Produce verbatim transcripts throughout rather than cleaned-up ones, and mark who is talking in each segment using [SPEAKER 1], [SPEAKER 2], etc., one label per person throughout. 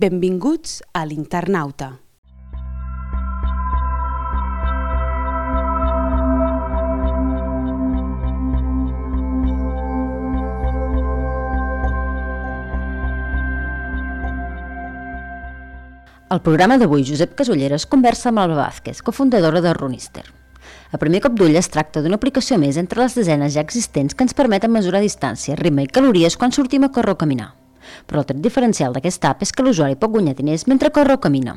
[SPEAKER 1] Benvinguts a l'Internauta.
[SPEAKER 2] Al programa d'avui, Josep Casulleres conversa amb Alba Vázquez, cofundadora de Runister. A primer cop d'ull es tracta d'una aplicació més entre les desenes ja existents que ens permeten mesurar distància, ritme i calories quan sortim a córrer o caminar. Però el tret diferencial d'aquesta app és que l'usuari pot guanyar diners mentre corre o camina.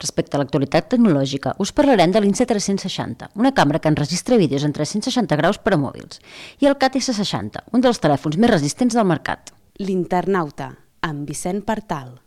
[SPEAKER 2] Respecte a l'actualitat tecnològica, us parlarem de l'Insta tres-cents seixanta, una càmera que enregistra vídeos en tres-cents seixanta graus per a mòbils, i el Cat essa seixanta, un dels telèfons més resistents del mercat.
[SPEAKER 1] L'Internauta, amb Vicent Partal.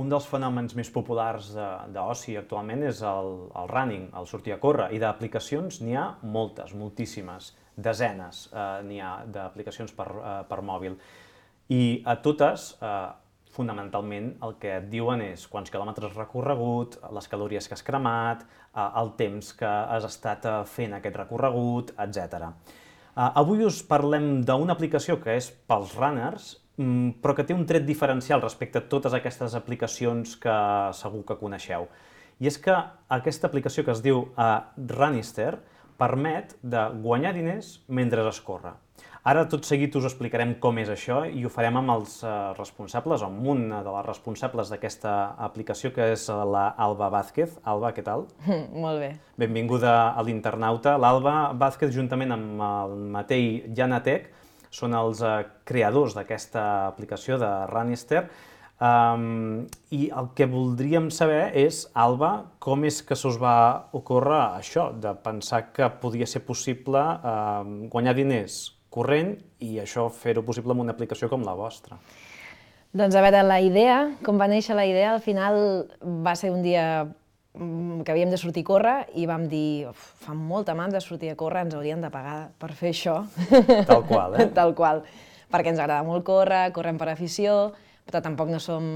[SPEAKER 3] Un dels fenòmens més populars d'oci actualment és el, el running, el sortir a córrer, i d'aplicacions n'hi ha moltes, moltíssimes, desenes eh, n'hi ha d'aplicacions per, eh, per mòbil. I a totes, eh, fonamentalment, el que et diuen és quants quilòmetres recorregut, les calories que has cremat, eh, el temps que has estat fent aquest recorregut, etcètera. Eh, avui us parlem d'una aplicació que és pels runners, però que té un tret diferencial respecte a totes aquestes aplicacions que segur que coneixeu. I és que aquesta aplicació que es diu uh, Runister permet de guanyar diners mentre es corre. Ara tot seguit us explicarem com és això i ho farem amb els uh, responsables, o amb una de les responsables d'aquesta aplicació, que és la Alba Vázquez. Alba, què tal?
[SPEAKER 4] Molt bé.
[SPEAKER 3] Benvinguda a l'Internauta. L'Alba Vázquez, juntament amb el Matei Janatek, són els uh, creadors d'aquesta aplicació de Runister. Um, I el que voldríem saber és, Alba, com és que se us va ocórrer això, de pensar que podia ser possible uh, guanyar diners corrent i això fer-ho possible amb una aplicació com la vostra?
[SPEAKER 4] Doncs a veure, la idea, com va néixer la idea, al final va ser un dia que havíem de sortir a córrer i vam dir, fa molta mandra de sortir a córrer, ens haurien de pagar per fer això.
[SPEAKER 3] Tal qual, eh?
[SPEAKER 4] Tal qual, perquè ens agrada molt córrer, correm per afició, però tampoc no som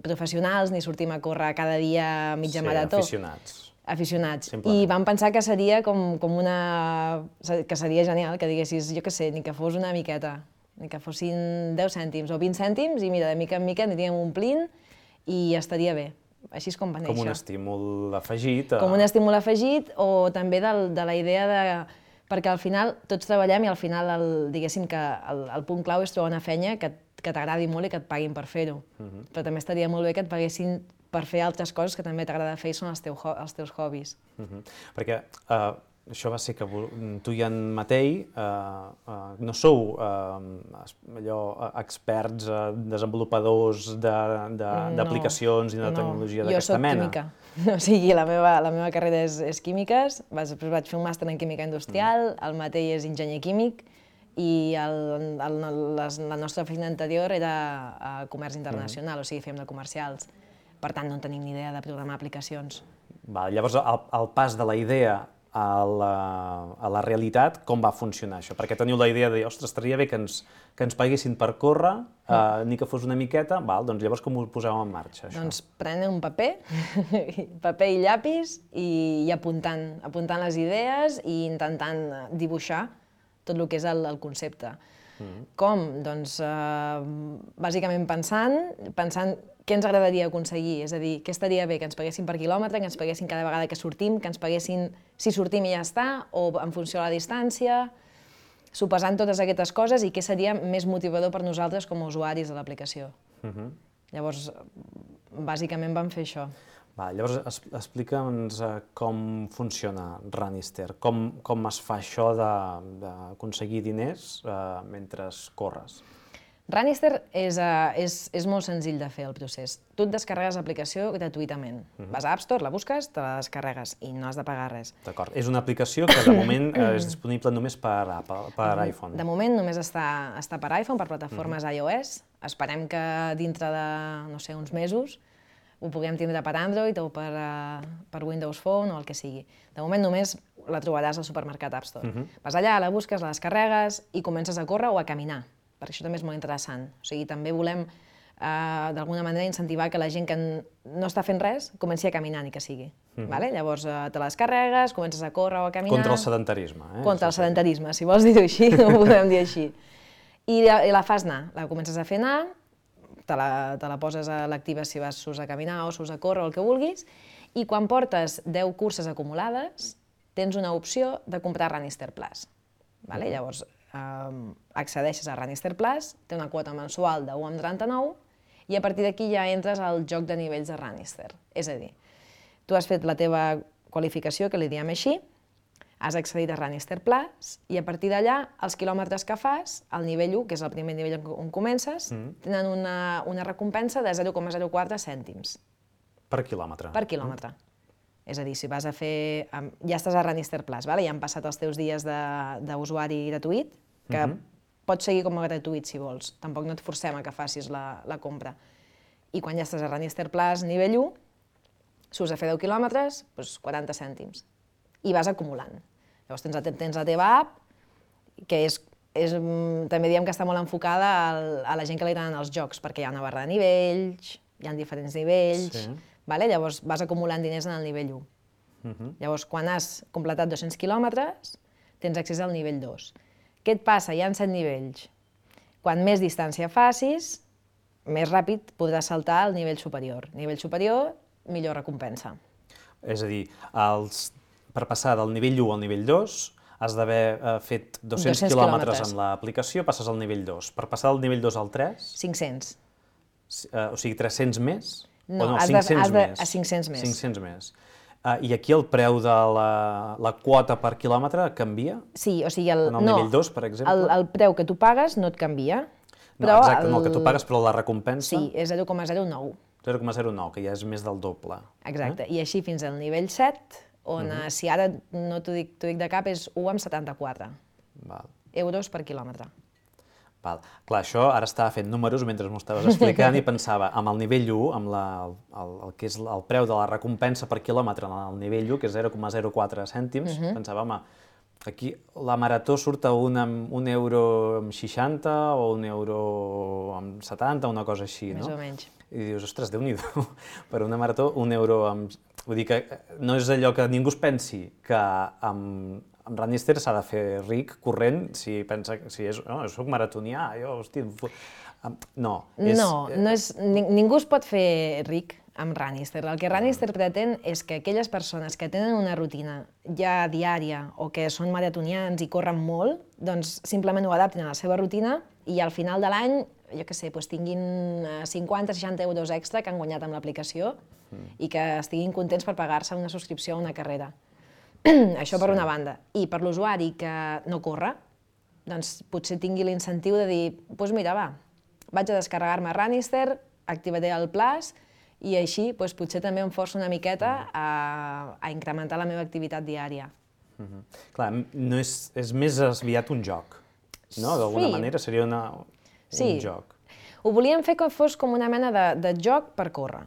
[SPEAKER 4] professionals ni sortim a córrer cada dia mitja marató.
[SPEAKER 3] Sí, aficionats.
[SPEAKER 4] Aficionats.
[SPEAKER 3] Simplement.
[SPEAKER 4] I vam pensar que seria com, com una... que seria genial, que diguessis, jo què sé, ni que fos una miqueta, ni que fossin deu cèntims o vint cèntims, i mira, de mica en mica aniríem omplint i estaria bé. Així és com va néixer.
[SPEAKER 3] Com un estímul afegit. A...
[SPEAKER 4] Com un estímul afegit, o també de, de la idea de... Perquè al final tots treballem i al final, el, diguéssim que el, el punt clau és trobar una feina que, que t'agradi molt i que et paguin per fer-ho. Uh-huh. Però també estaria molt bé que et paguessin per fer altres coses que també t'agrada fer i són els, teu, els teus hobbies. Uh-huh.
[SPEAKER 3] Perquè uh, això va ser que tu i en Matei uh, uh, no sou uh, allò, experts, uh, desenvolupadors d'aplicacions de, de, no, i de
[SPEAKER 4] no,
[SPEAKER 3] tecnologia d'aquesta mena.
[SPEAKER 4] Jo soc química, o sigui, la meva, la meva carrera és, és químiques, després vaig fer un màster en química industrial, mm. el Matei és enginyer químic i el, el, les, la nostra feina anterior era a comerç internacional, mm. o sigui, fèiem de comercials. Per tant, no tenim ni idea de programar aplicacions. Va,
[SPEAKER 3] llavors, el, el pas de la idea a la, a la realitat, com va funcionar això? Perquè teniu la idea de, ostres, estaria bé que ens, que ens paguessin per córrer, mm. eh, ni que fos una miqueta, val, doncs llavors com ho poseu en marxa, això?
[SPEAKER 4] Doncs prenent un paper, paper i llapis, i, i apuntant, apuntant les idees i intentant dibuixar tot el que és el, el concepte. Mm. Com? Doncs, eh, bàsicament pensant, pensant què ens agradaria aconseguir, és a dir, què estaria bé, que ens paguessin per quilòmetre, que ens paguessin cada vegada que sortim, que ens paguessin si sortim i ja està, o en funció de la distància, sopesant totes aquestes coses i què seria més motivador per nosaltres com a usuaris de l'aplicació. Uh-huh. Llavors, bàsicament vam fer això.
[SPEAKER 3] Va, llavors, explica'ns com funciona Runister, com, com es fa això d'aconseguir diners uh, mentre corres.
[SPEAKER 4] Runister és, uh, és, és molt senzill de fer el procés. Tu et descarregues l'aplicació gratuïtament. Uh-huh. Vas a App Store, la busques, te la descarregues i no has de pagar res.
[SPEAKER 3] D'acord. És una aplicació que de moment és disponible només per, Apple, per uh-huh. iPhone.
[SPEAKER 4] De moment només està, està per iPhone, per plataformes uh-huh. iOS. Esperem que dintre de, no sé, uns mesos ho puguem tindre per Android o per, uh, per Windows Phone o el que sigui. De moment només la trobaràs al supermercat App Store. Uh-huh. Vas allà, la busques, la descarregues i comences a córrer o a caminar, perquè això també és molt interessant. O sigui, també volem, eh, d'alguna manera, incentivar que la gent que no està fent res comenci a caminar, ni que sigui. Uh-huh. Vale? Llavors, eh, te la descarregues, comences a córrer o a caminar...
[SPEAKER 3] Contra el sedentarisme, eh?
[SPEAKER 4] Contra el sedentarisme, si vols dir-ho així, ho podem dir així. I la, i la fas anar, la comences a fer anar, te la, te la poses a l'activa si vas surts a caminar o surts a córrer o el que vulguis, i quan portes deu curses acumulades, tens una opció de comprar Runnister Plus. Vale? Llavors, eh, accedeixes a Runnister Plus, té una quota mensual de u coma trenta-nou i a partir d'aquí ja entres al joc de nivells de Runnister. És a dir, tu has fet la teva qualificació, que li diem així, has accedit a Runnister Plus i a partir d'allà, els quilòmetres que fas, al nivell u, que és el primer nivell on comences, mm. tenen una, una recompensa de zero coma zero quatre cèntims.
[SPEAKER 3] Per quilòmetre.
[SPEAKER 4] Per quilòmetre. Mm. És a dir, si vas a fer... Ja estàs a Runnister Plus, vale? Ja han passat els teus dies d'usuari gratuït, que mm-hmm. pots seguir com a gratuït si vols. Tampoc no et forcem a que facis la, la compra. I quan ja estàs a Runnister Plus nivell u, surts a fer deu quilòmetres, doncs quaranta cèntims. I vas acumulant. Llavors tens, tens la teva app, que és, és, també diem que està molt enfocada al, a la gent que li agraden els jocs, perquè hi ha una barra de nivells, hi ha diferents nivells, sí. Vale? Llavors vas acumulant diners en el nivell u. Uh-huh. Llavors, quan has completat dos-cents quilòmetres, tens accés al nivell dos. Què et passa? Hi ha set nivells. Quan més distància facis, més ràpid podràs saltar al nivell superior. Nivell superior, millor recompensa.
[SPEAKER 3] És a dir, els... per passar del nivell u al nivell dos, has d'haver eh, fet dos-cents quilòmetres en l'aplicació, passes al nivell dos. Per passar del nivell dos al tres...
[SPEAKER 4] cinc-cents.
[SPEAKER 3] Eh, o sigui, tres-cents més?
[SPEAKER 4] No,
[SPEAKER 3] o no
[SPEAKER 4] has
[SPEAKER 3] cinc-cents
[SPEAKER 4] de,
[SPEAKER 3] més.
[SPEAKER 4] A cinc-cents més.
[SPEAKER 3] cinc-cents més. Uh, I aquí el preu de la, la quota per quilòmetre canvia?
[SPEAKER 4] Sí, o sigui... El,
[SPEAKER 3] en el
[SPEAKER 4] no,
[SPEAKER 3] nivell dos, per exemple?
[SPEAKER 4] El, el preu que tu pagues no et canvia.
[SPEAKER 3] No,
[SPEAKER 4] però
[SPEAKER 3] exacte,
[SPEAKER 4] el...
[SPEAKER 3] no el que tu pagues, però la recompensa...
[SPEAKER 4] Sí, és zero coma zero nou.
[SPEAKER 3] zero coma zero nou, que ja és més del doble.
[SPEAKER 4] Exacte, eh? I així fins al nivell set, on uh-huh. si ara no t'ho dic, dic de cap, és u coma setanta-quatre
[SPEAKER 3] Val.
[SPEAKER 4] euros per quilòmetre.
[SPEAKER 3] Val. Clar, això ara estava fent números mentre m'ho estaves explicant i pensava, amb el nivell u, amb la, el, el que és el preu de la recompensa per quilòmetre en el nivell u, que és zero coma zero quatre cèntims, uh-huh. pensava, home, aquí la marató surt a un, un euro amb seixanta o un euro amb setanta, una cosa així,
[SPEAKER 4] Més
[SPEAKER 3] no?
[SPEAKER 4] Més o menys.
[SPEAKER 3] I dius, ostres, Déu-n'hi-do, per una marató un euro amb... Vull dir que no és allò que ningú es pensi que amb, amb Runnister s'ha de fer ric, corrent, si pensa que si és, no, jo soc maratonià, jo, hosti... No, és...
[SPEAKER 4] No, no és, ningú es pot fer ric amb Runnister. El que Runnister pretén és que aquelles persones que tenen una rutina ja diària o que són maratonians i corren molt, doncs simplement ho adaptin a la seva rutina i al final de l'any, jo què sé, doncs tinguin cinquanta o seixanta euros extra que han guanyat amb l'aplicació mm. i que estiguin contents per pagar-se una subscripció a una carrera. Això per sí. una banda. I per l'usuari que no corre, doncs potser tingui l'incentiu de dir, doncs mira, va, vaig a descarregar-me Runnister, activaré el Plus, i així doncs, potser també em forço una miqueta a, a incrementar la meva activitat diària.
[SPEAKER 3] Mm-hmm. Clar, no és, és més aviat un joc, no? D'alguna
[SPEAKER 4] sí.
[SPEAKER 3] manera seria una, un
[SPEAKER 4] sí.
[SPEAKER 3] joc.
[SPEAKER 4] Ho volíem fer que fos com una mena de, de joc per córrer.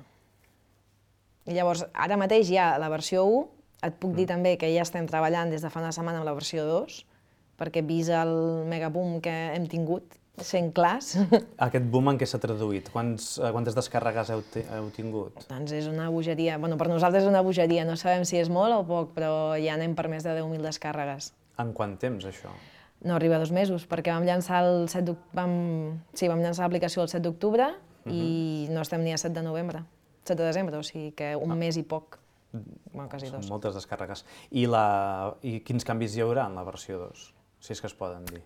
[SPEAKER 4] I llavors, ara mateix hi ha la versió u, et puc dir mm. també que ja estem treballant des de fa una setmana amb la versió dos, perquè vist el megaboom que hem tingut, sent clars...
[SPEAKER 3] Aquest boom en què s'ha traduït? Quants, quantes descàrregues heu, heu tingut?
[SPEAKER 4] Doncs és una bogeria. Bueno, per nosaltres és una bogeria. No sabem si és molt o poc, però ja anem per més de deu mil descàrregues.
[SPEAKER 3] En quant temps, això?
[SPEAKER 4] No arriba a dos mesos, perquè vam llançar el set vam... sí, vam llançar l'aplicació el set d'octubre uh-huh. i no estem ni a set de novembre, set de desembre, o sigui que un ah. mes i poc. Bueno, quasi dos.
[SPEAKER 3] Són moltes descàrregues. I, la... I quins canvis hi haurà en la versió dos? Si és que es poden dir.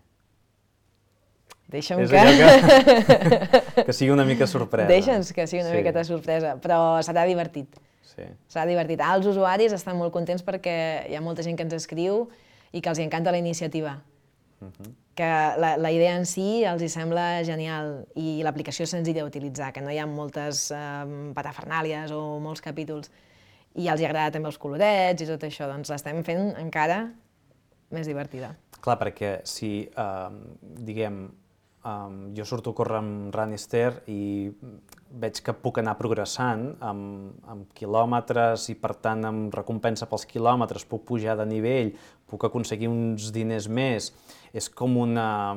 [SPEAKER 4] Deixa'm
[SPEAKER 3] és
[SPEAKER 4] que...
[SPEAKER 3] que... que sigui una mica sorpresa.
[SPEAKER 4] Deixa'ns que sigui una sí. miqueta sorpresa, però serà divertit.
[SPEAKER 3] Sí.
[SPEAKER 4] Serà divertit. Els usuaris estan molt contents perquè hi ha molta gent que ens escriu i que els encanta la iniciativa. Uh-huh. Que la, la idea en si els hi sembla genial i l'aplicació és senzilla d'utilitzar, que no hi ha moltes eh, patafernàlies o molts capítols. I els hi agrada també els colorets i tot això, doncs l'estem fent encara més divertida.
[SPEAKER 3] Clar, perquè si, eh, diguem, um, jo surto a córrer amb Runnister i veig que puc anar progressant amb, amb quilòmetres i, per tant, amb recompensa pels quilòmetres, puc pujar de nivell, puc aconseguir uns diners més. És com una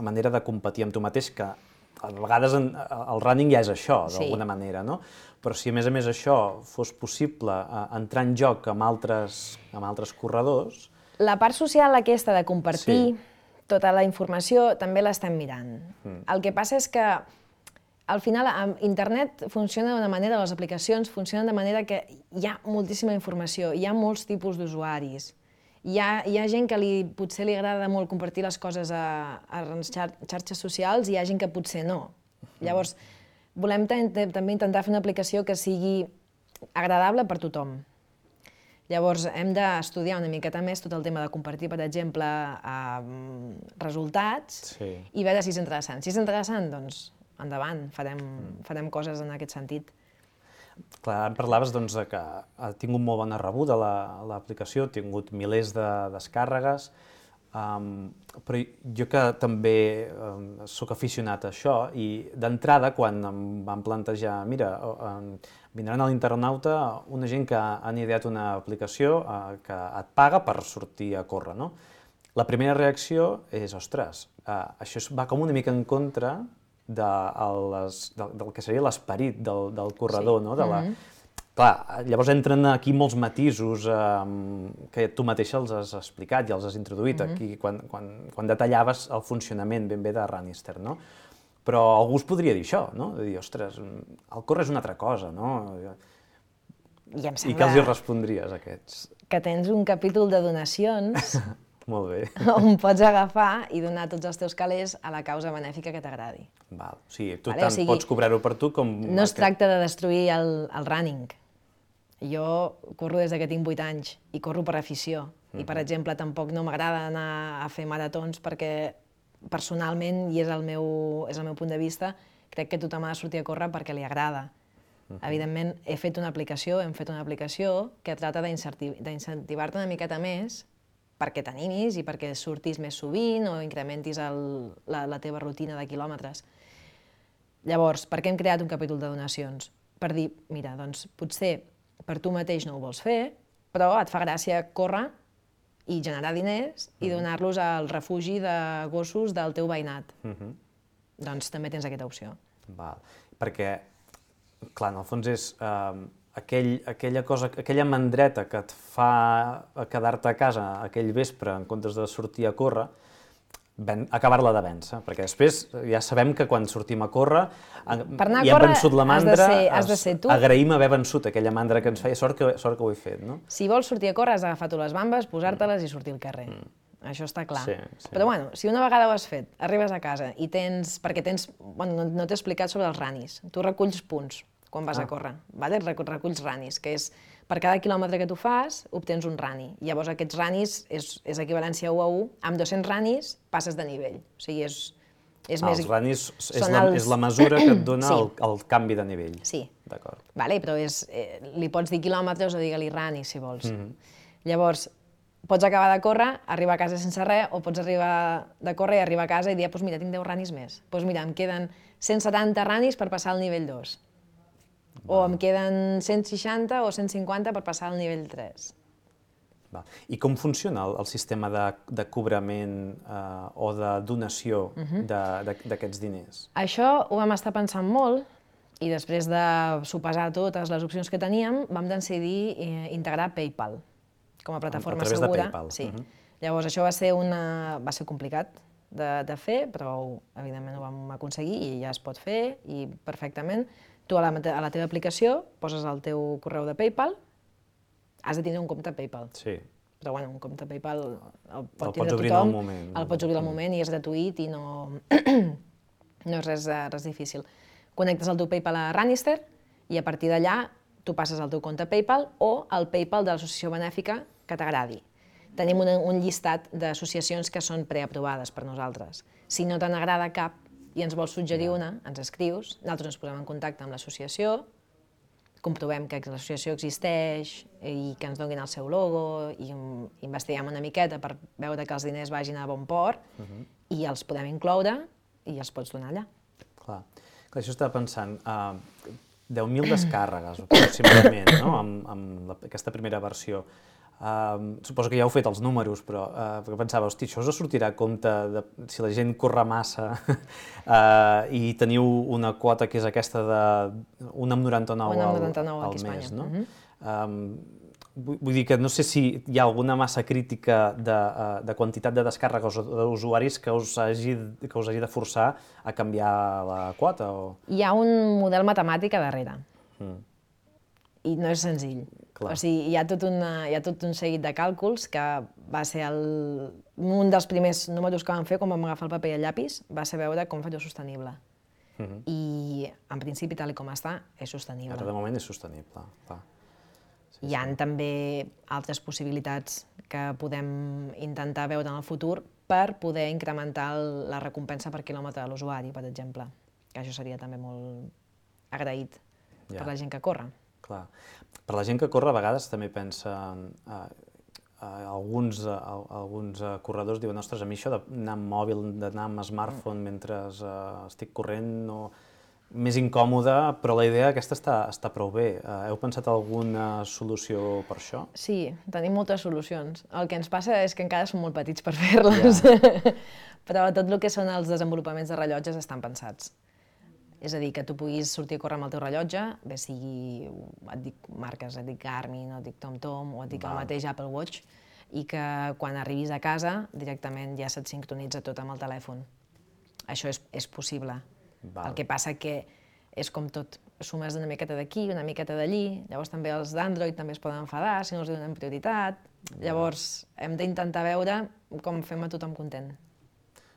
[SPEAKER 3] manera de competir amb tu mateix, que a vegades en, el running ja és això, d'alguna
[SPEAKER 4] Sí.
[SPEAKER 3] manera, no? Però si a més a més això fos possible eh, entrar en joc amb altres, amb altres corredors...
[SPEAKER 4] La part social aquesta de compartir
[SPEAKER 3] Sí.
[SPEAKER 4] tota la informació també l'estem mirant. Mm. El que passa és que al final amb internet funciona d'una manera, les aplicacions funcionen de manera que hi ha moltíssima informació, hi ha molts tipus d'usuaris. Hi ha, hi ha gent que li, potser li agrada molt compartir les coses a, a les xar xarxes socials i hi ha gent que potser no. Llavors, volem també intentar fer una aplicació que sigui agradable per tothom. Llavors, hem d'estudiar una miqueta més tot el tema de compartir, per exemple, eh, resultats
[SPEAKER 3] Sí.
[SPEAKER 4] i veure si és interessant. Si és interessant, doncs, endavant, farem, farem coses en aquest sentit.
[SPEAKER 3] Clar, em parlaves doncs, de que ha tingut molt bona rebuda l'aplicació, ha tingut milers de descàrregues, um, però jo que també um, sóc aficionat a això, i d'entrada, quan em van plantejar, mira, um, vindran a l'Internauta una gent que han ideat una aplicació uh, que et paga per sortir a córrer, no? La primera reacció és, ostres, uh, això va com una mica en contra de les, del, del que seria l'esperit del, del corredor,
[SPEAKER 4] Sí.
[SPEAKER 3] no? De la,
[SPEAKER 4] Mm-hmm.
[SPEAKER 3] Clar, llavors entren aquí molts matisos eh, que tu mateixa els has explicat i els has introduït
[SPEAKER 4] Mm-hmm.
[SPEAKER 3] aquí quan, quan, quan detallaves el funcionament ben bé de Runnister, no? Però algú es podria dir això, no? De dir, ostres, el córrer és una altra cosa, no?
[SPEAKER 4] I em
[SPEAKER 3] I
[SPEAKER 4] sembla
[SPEAKER 3] què els hi respondries, a aquests?
[SPEAKER 4] que tens un capítol de donacions
[SPEAKER 3] Molt bé.
[SPEAKER 4] on pots agafar i donar tots els teus calés a la causa benèfica que t'agradi.
[SPEAKER 3] Val. O sigui, tu
[SPEAKER 4] Vale,
[SPEAKER 3] tant
[SPEAKER 4] o sigui,
[SPEAKER 3] pots cobrar-ho per tu com...
[SPEAKER 4] No es
[SPEAKER 3] aquest-
[SPEAKER 4] tracta de destruir el, el running. Jo corro des que tinc vuit anys i corro per afició. I, per exemple, tampoc no m'agrada anar a fer maratons perquè personalment, i és el meu, és el meu punt de vista, crec que tothom ha de sortir a córrer perquè li agrada. Evidentment, he fet una aplicació, hem fet una aplicació que tracta d'incentivar-te una miqueta més perquè t'animis i perquè surtis més sovint o incrementis el, la, la teva rutina de quilòmetres. Llavors, per què hem creat un capítol de donacions? Per dir, mira, doncs potser per tu mateix no ho vols fer, però et fa gràcia córrer i generar diners i donar-los al refugi de gossos del teu veïnat.
[SPEAKER 3] Mhm.
[SPEAKER 4] Doncs també tens aquesta opció.
[SPEAKER 3] Val. Perquè, clar, en el fons és eh, aquell, aquella cosa, aquella mandreta que et fa quedar-te a casa aquell vespre en comptes de sortir a córrer, ven, acabar-la de vèncer, perquè després ja sabem que quan sortim a córrer
[SPEAKER 4] Per anar a
[SPEAKER 3] i hem
[SPEAKER 4] córrer
[SPEAKER 3] vençut la
[SPEAKER 4] has de
[SPEAKER 3] mandra,
[SPEAKER 4] ser- has de ser tu.
[SPEAKER 3] agraïm haver vençut aquella mandra que ens feia, sort que, sort que ho he fet, no?
[SPEAKER 4] Si vols sortir a córrer, has d'agafar-te les bambes, posar-te-les i sortir al carrer. Això està clar.
[SPEAKER 3] Sí, sí.
[SPEAKER 4] Però bueno, si una vegada ho has fet, arribes a casa i tens... Perquè tens... Bueno, no, no t'he explicat sobre els ranis. Tu reculls punts quan vas
[SPEAKER 3] Ah.
[SPEAKER 4] a córrer, vale? Recu- reculls ranis, que és per cada quilòmetre que tu fas, obtens un rani. Llavors aquests ranis és, és equivalència u a u. Amb dos-cents ranis passes de nivell. O sigui, és, és
[SPEAKER 3] Ah,
[SPEAKER 4] més...
[SPEAKER 3] els ranis és
[SPEAKER 4] són
[SPEAKER 3] la,
[SPEAKER 4] els-
[SPEAKER 3] és la mesura que et dona
[SPEAKER 4] Sí.
[SPEAKER 3] el, el canvi de nivell.
[SPEAKER 4] Sí.
[SPEAKER 3] D'acord.
[SPEAKER 4] Vale, però és, eh, li pots dir quilòmetres o digue-li ranis, si vols.
[SPEAKER 3] Mhm.
[SPEAKER 4] Llavors, pots acabar de córrer, arribar a casa sense res, o pots arribar de córrer i arribar a casa i dir, doncs mira, tinc deu ranis més. Doncs mira, em queden cent setanta ranis per passar al nivell dos. O em queden cent seixanta o cent cinquanta per passar al nivell tres.
[SPEAKER 3] Val. I com funciona el, el sistema de, de cobrament eh, o de donació
[SPEAKER 4] Mhm.
[SPEAKER 3] de- de- d'aquests diners?
[SPEAKER 4] Això ho vam estar pensant molt i després de sopesar totes les opcions que teníem, vam decidir eh, integrar PayPal com a plataforma
[SPEAKER 3] través de
[SPEAKER 4] segura.
[SPEAKER 3] PayPal.
[SPEAKER 4] Sí.
[SPEAKER 3] Mhm.
[SPEAKER 4] Llavors, això va ser, una... va ser complicat de, de fer, però evidentment ho vam aconseguir i ja es pot fer i perfectament. Tu a la, mate- a la teva aplicació poses el teu correu de PayPal, has de tindre un compte PayPal.
[SPEAKER 3] Sí.
[SPEAKER 4] Però bueno, un compte PayPal el
[SPEAKER 3] El
[SPEAKER 4] pot
[SPEAKER 3] pots
[SPEAKER 4] tindre
[SPEAKER 3] obrir en
[SPEAKER 4] tothom,
[SPEAKER 3] el moment.
[SPEAKER 4] el pots obrir al moment i és gratuït i no, no és res, eh, res difícil. Connectes el teu PayPal a Runnister i a partir d'allà tu passes al teu compte PayPal o al PayPal de l'associació benèfica que t'agradi. Tenim un, un llistat d'associacions que són preaprovades per nosaltres. Si no te n'agrada cap i ens vols suggerir una, ens escrius, nosaltres ens posem en contacte amb l'associació, comprovem que l'associació existeix i que ens donin el seu logo i investiguem una miqueta per veure que els diners vagin a bon port i els podem incloure i els pots donar allà.
[SPEAKER 3] Clar, Clar això estava pensant, uh, deu mil descàrregues aproximadament, no?, amb, amb la, aquesta primera versió. Uh, suposo que ja heu fet els números, però uh, perquè pensava, hosti, això us sortirà a compte de, si la gent corre massa uh, i teniu una quota que és aquesta de un coma noranta-nou al, al mes, no? Uh-huh. um, vull, vull dir que no sé si hi ha alguna massa crítica de, uh, de quantitat de descàrregues o d'usuaris que us hagi, que us hagi de forçar a canviar la quota o...
[SPEAKER 4] Hi ha un model matemàtic a darrere. Mm. I no és senzill.
[SPEAKER 3] Clar.
[SPEAKER 4] O sigui, hi ha, tot una, hi ha tot un seguit de càlculs que va ser el, un dels primers números que vam fer quan vam agafar el paper i el llapis, va ser veure com fer-ho sostenible. Uh-huh. I, en principi, tal com està, és sostenible.
[SPEAKER 3] Ara, de moment, és sostenible. Clar. Sí,
[SPEAKER 4] hi ha sí. també altres possibilitats que podem intentar veure en el futur per poder incrementar la recompensa per quilòmetre de l'usuari, per exemple, que això seria també molt agraït ja. per la gent que corre.
[SPEAKER 3] Clar. Per la gent que corre, a vegades també pensa... Eh, eh, alguns, eh, alguns eh, corredors diuen, ostres, a mi això d'anar amb mòbil, d'anar amb smartphone mentre eh, estic corrent, no... més incòmode, però la idea aquesta està, està prou bé. Eh, heu pensat alguna solució per això?
[SPEAKER 4] Sí, tenim moltes solucions. El que ens passa és que encara som molt petits per fer-les, yeah. però tot el que són els desenvolupaments de rellotges estan pensats. És a dir, que tu puguis sortir a córrer amb el teu rellotge, bé sigui, et dic marques, et dic Garmin, o et dic TomTom, o et dic el mateix Apple Watch, i que quan arribis a casa directament ja se't sincronitza tot amb el telèfon. Això és, és possible. Val. El que passa que és com tot, sumes una miqueta d'aquí, una miqueta d'allí, llavors també els d'Android també es poden enfadar si no els donem prioritat, llavors hem d'intentar veure com fem a tothom content.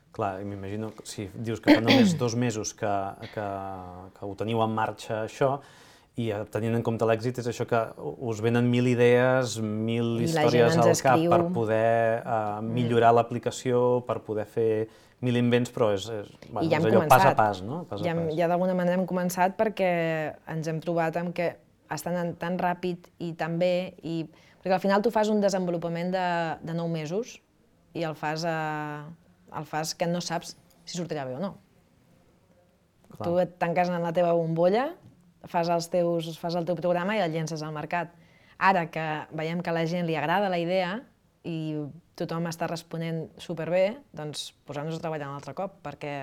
[SPEAKER 3] Clar, m'imagino, si dius que fa només dos mesos que, que, que ho teniu en marxa això, i tenint en compte l'èxit és això que us venen mil idees, mil
[SPEAKER 4] I
[SPEAKER 3] històries al
[SPEAKER 4] escriu.
[SPEAKER 3] cap per poder uh, millorar mm. l'aplicació, per poder fer mil invents, però és, és, bueno,
[SPEAKER 4] ja
[SPEAKER 3] és allò
[SPEAKER 4] començat.
[SPEAKER 3] pas a pas, no? Pas
[SPEAKER 4] ja,
[SPEAKER 3] a pas.
[SPEAKER 4] ja d'alguna manera hem començat perquè ens hem trobat amb que estan anant tan ràpid i tan bé, i... perquè al final tu fas un desenvolupament de, de nou mesos i el fas a... el fas que no saps si sortirà bé o no. Clar. Tu et tanques en la teva bombolla, fas, els teus, fas el teu programa i el llences al mercat. Ara que veiem que a la gent li agrada la idea i tothom està responent superbé, doncs posem-nos a treballar un altre cop, perquè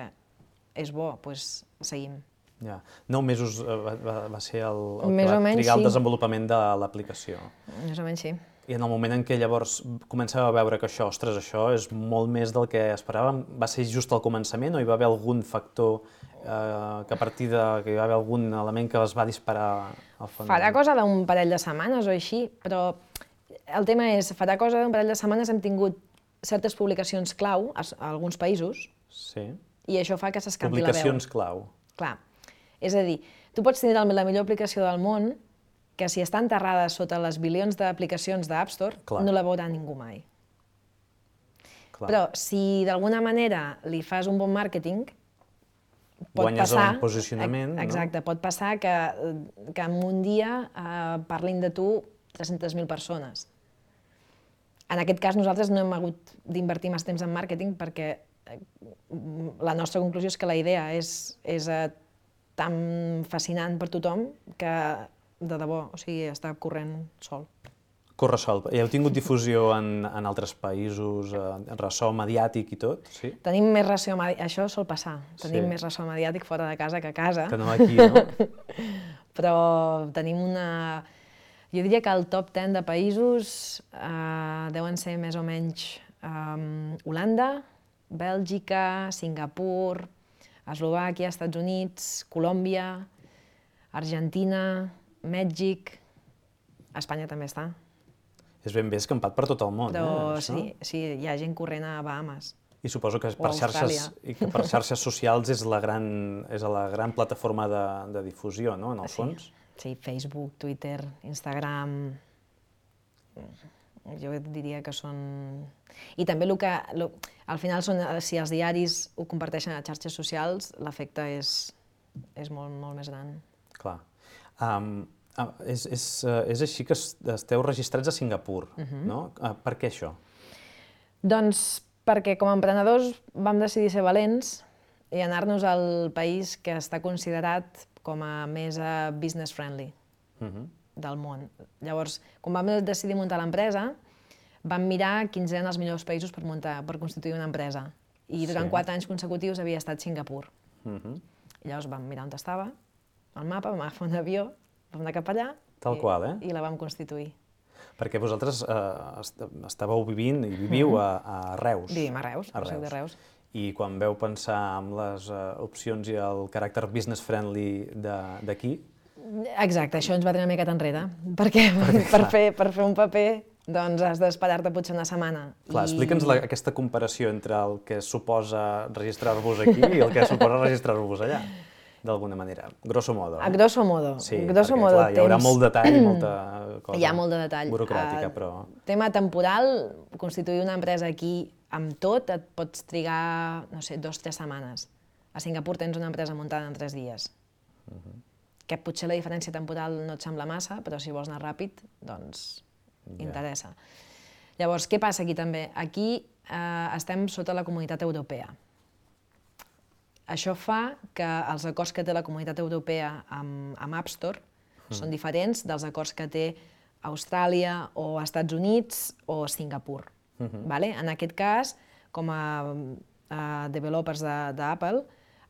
[SPEAKER 4] és bo, doncs seguim.
[SPEAKER 3] Ja. Nou mesos va, va, va ser el, el
[SPEAKER 4] Més
[SPEAKER 3] que va
[SPEAKER 4] menys,
[SPEAKER 3] trigar
[SPEAKER 4] sí.
[SPEAKER 3] el desenvolupament de l'aplicació.
[SPEAKER 4] Més o menys sí.
[SPEAKER 3] I en el moment en què llavors comenceu a veure que això, ostres, això és molt més del que esperàvem, va ser just al començament o hi va haver algun factor eh, que a partir de... que hi va haver algun element que es va disparar al fons?
[SPEAKER 4] Farà cosa d'un parell de setmanes o així, però el tema és, farà cosa d'un parell de setmanes hem tingut certes publicacions clau a, a alguns països
[SPEAKER 3] sí.
[SPEAKER 4] i això fa que s'escampi la veu.
[SPEAKER 3] Publicacions clau.
[SPEAKER 4] Clar. És a dir, tu pots tenir la millor aplicació del món que si està enterrada sota les bilions d'aplicacions d'App Store, clar. No la veurà ningú mai. Clar. Però si d'alguna manera li fas un bon màrqueting, pot
[SPEAKER 3] guanyes
[SPEAKER 4] passar...
[SPEAKER 3] un posicionament,
[SPEAKER 4] exacte, no? Pot passar que, que en un dia eh, parlin de tu tres-centes mil persones. En aquest cas nosaltres no hem hagut d'invertir més temps en màrqueting perquè la nostra conclusió és que la idea és, és eh, tan fascinant per tothom que de debò, o sigui, està corrent sol.
[SPEAKER 3] Corre sol. I heu tingut difusió en, en altres països, en ressò mediàtic i tot? Sí?
[SPEAKER 4] Tenim més ressò mediàtic, això sol passar, tenim
[SPEAKER 3] sí.
[SPEAKER 4] més ressò mediàtic fora de casa que a casa.
[SPEAKER 3] Que no aquí, no?
[SPEAKER 4] Però tenim una... Jo diria que el top deu de països eh, deuen ser més o menys eh, Holanda, Bèlgica, Singapur, Eslovàquia, Estats Units, Colòmbia, Argentina, Mèxic, Espanya també està.
[SPEAKER 3] És ben bé escampat per tot el món,
[SPEAKER 4] però,
[SPEAKER 3] eh?
[SPEAKER 4] Sí, sí, hi ha gent corrent a Bahamas.
[SPEAKER 3] I suposo que per xarxes, i que per xarxes socials és la gran, és la gran plataforma de, de difusió, no?, en el
[SPEAKER 4] sí,
[SPEAKER 3] fons.
[SPEAKER 4] Sí, Facebook, Twitter, Instagram... Jo diria que són... I també el que... Lo, al final, són, si els diaris ho comparteixen a xarxes socials, l'efecte és, és molt, molt més gran.
[SPEAKER 3] Clar. Um, uh, és, és, uh, és així que esteu registrats a Singapur, uh-huh. no? Uh, per què això?
[SPEAKER 4] Doncs perquè com a emprenedors vam decidir ser valents i anar-nos al país que està considerat com a més business friendly del món. Llavors, quan vam decidir muntar l'empresa, vam mirar quins eren els millors països per muntar, per constituir una empresa. I durant quatre anys consecutius havia estat Singapur. I llavors vam mirar on estava, el mapa, vam agafar un avió, vam anar cap allà i la vam constituir.
[SPEAKER 3] Perquè vosaltres estàveu vivint i viviu a Reus.
[SPEAKER 4] Vivim a Reus, a soc de Reus.
[SPEAKER 3] I quan veu pensar en les opcions i el caràcter business friendly d'aquí...
[SPEAKER 4] Exacte, això ens va tenir una miqueta enrere, perquè per fer un paper doncs has d'esperar-te potser una setmana.
[SPEAKER 3] Clar, explica'ns aquesta comparació entre el que suposa registrar-vos aquí i el que suposa registrar-vos allà, d'alguna manera, grosso modo.
[SPEAKER 4] A grosso modo.
[SPEAKER 3] Sí, perquè clar, hi haurà molt detall i molta cosa
[SPEAKER 4] hi ha molt de detall.
[SPEAKER 3] burocràtica, però...
[SPEAKER 4] Tema temporal, constituir una empresa aquí amb tot et pots trigar, no sé, dos o tres setmanes. A Singapur tens una empresa muntada en tres dies. Que potser la diferència temporal no et sembla massa, però si vols anar ràpid, doncs interessa. Llavors, què passa aquí també? Aquí estem sota la Comunitat Europea. Això fa que els acords que té la Comunitat Europea amb App Store són diferents dels acords que té Austràlia o Estats Units o Singapur. En aquest cas, com a developers d'Apple,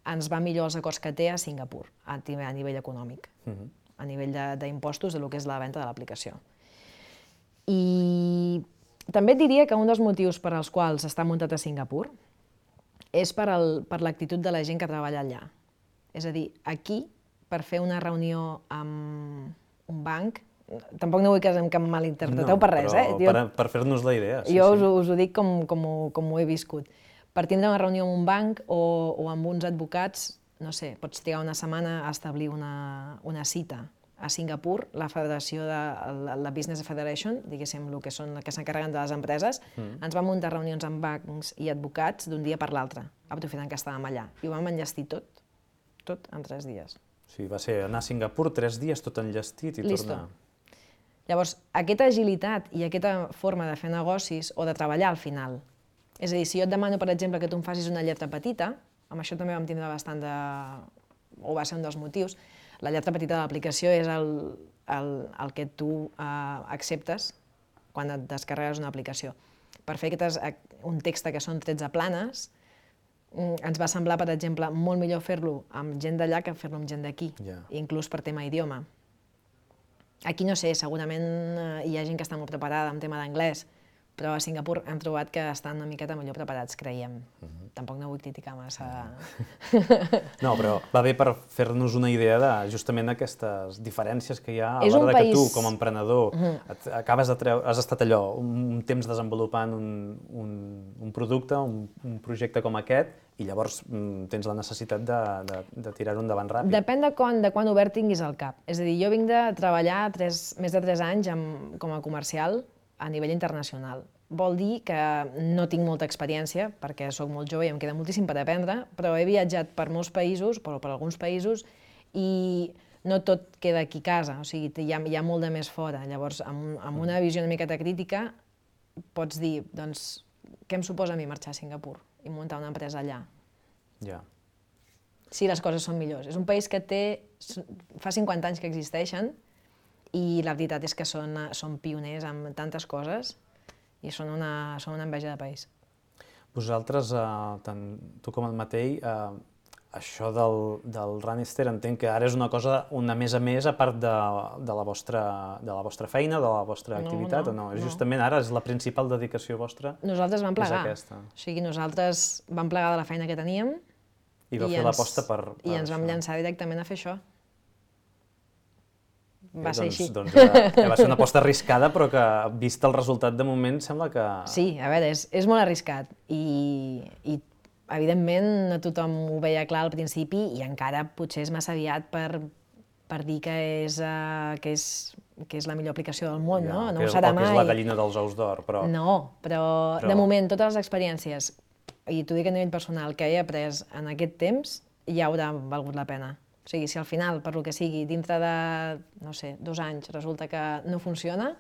[SPEAKER 4] ens va millor els acords que té a Singapur, a nivell econòmic, a nivell d'impostos de lo que és la venda de l'aplicació. I també et diria que un dels motius per als quals està muntat a Singapur és per l'actitud de la gent que treballa allà. És a dir, aquí, per fer una reunió amb un banc, tampoc no vull que em malinterpreteu per res, eh?
[SPEAKER 3] Per fer-nos la idea.
[SPEAKER 4] Jo us ho dic com ho he viscut. Per tindre una reunió amb un banc o amb uns advocats, no sé, pots trigar una setmana a establir una cita. A Singapur, la federació de la Business Federation, diguéssim, el que són que s'encarreguen de les empreses, ens van muntar reunions amb bancs i advocats d'un dia per l'altre, aprofitant que estàvem allà. I ho vam enllestir tot, tot en tres dies.
[SPEAKER 3] Sí, va ser anar a Singapur tres dies tot enllestit i tornar.
[SPEAKER 4] Llavors, aquesta agilitat i aquesta forma de fer negocis o de treballar al final, és a dir, si jo et demano, per exemple, que tu em facis una lletra petita, amb això també vam tindre bastant de... o va ser un dels motius, la lletra petita de l'aplicació és el que tu acceptes quan et descarregues una aplicació. Per fer un text que són tretze planes, ens va semblar, per exemple, molt millor fer-lo amb gent d'allà que fer-lo amb gent d'aquí, inclús per tema idioma. Aquí no sé, segurament hi ha gent que està molt preparada en tema d'anglès, però a Singapur hem trobat que estan una miqueta millor preparats, creiem. Tampoc no vull criticar massa.
[SPEAKER 3] No, però va bé per fer-nos una idea de justament aquestes diferències que hi ha a l'hora que tu, com a emprenedor, has estat allò, un temps desenvolupant un producte, un projecte com aquest, i llavors tens la necessitat de tirar-ho endavant ràpid.
[SPEAKER 4] Depèn de quan obert tinguis al cap. És a dir, jo vinc de treballar més de tres anys com a comercial a nivell internacional. Vol dir que no tinc molta experiència, perquè sóc molt jove i em queda moltíssim per aprendre, però he viatjat per molts països, però per alguns països, i no tot queda aquí a casa, o sigui, hi ha molt de més fora. Llavors, amb una visió una miqueta crítica, pots dir, doncs, què em suposa a mi marxar a Singapur i muntar una empresa allà?
[SPEAKER 3] Ja.
[SPEAKER 4] Si les coses són millors. És un país que té, fa cinquanta anys que existeixen, i la veritat és que són pioners en tantes coses i són una enveja de país.
[SPEAKER 3] Vosaltres, tant tu com el Matei, això del Runnister entenc que ara és una cosa una més a més a part de la vostra feina, de la vostra activitat, o no? Justament ara és la principal dedicació vostra?
[SPEAKER 4] Nosaltres vam plegar. O sigui, nosaltres vam plegar de la feina que teníem
[SPEAKER 3] i vau fer l'aposta per...
[SPEAKER 4] i ens vam llançar directament a fer això. Va ser així.
[SPEAKER 3] Doncs va ser una aposta arriscada, però que, vist el resultat de moment, sembla que...
[SPEAKER 4] Sí, a veure, és molt arriscat i, evidentment, no tothom ho veia clar al principi i encara potser és massa aviat per dir que és la millor aplicació del món, no? No ho serà mai.
[SPEAKER 3] O que és la gallina dels ous d'or, però...
[SPEAKER 4] No, però de moment, totes les experiències, i t'ho dic a nivell personal, que he après en aquest temps, ja haurà valgut la pena. O sigui, si al final, per lo que sigui, dintre de, no sé, dos anys resulta que no funciona,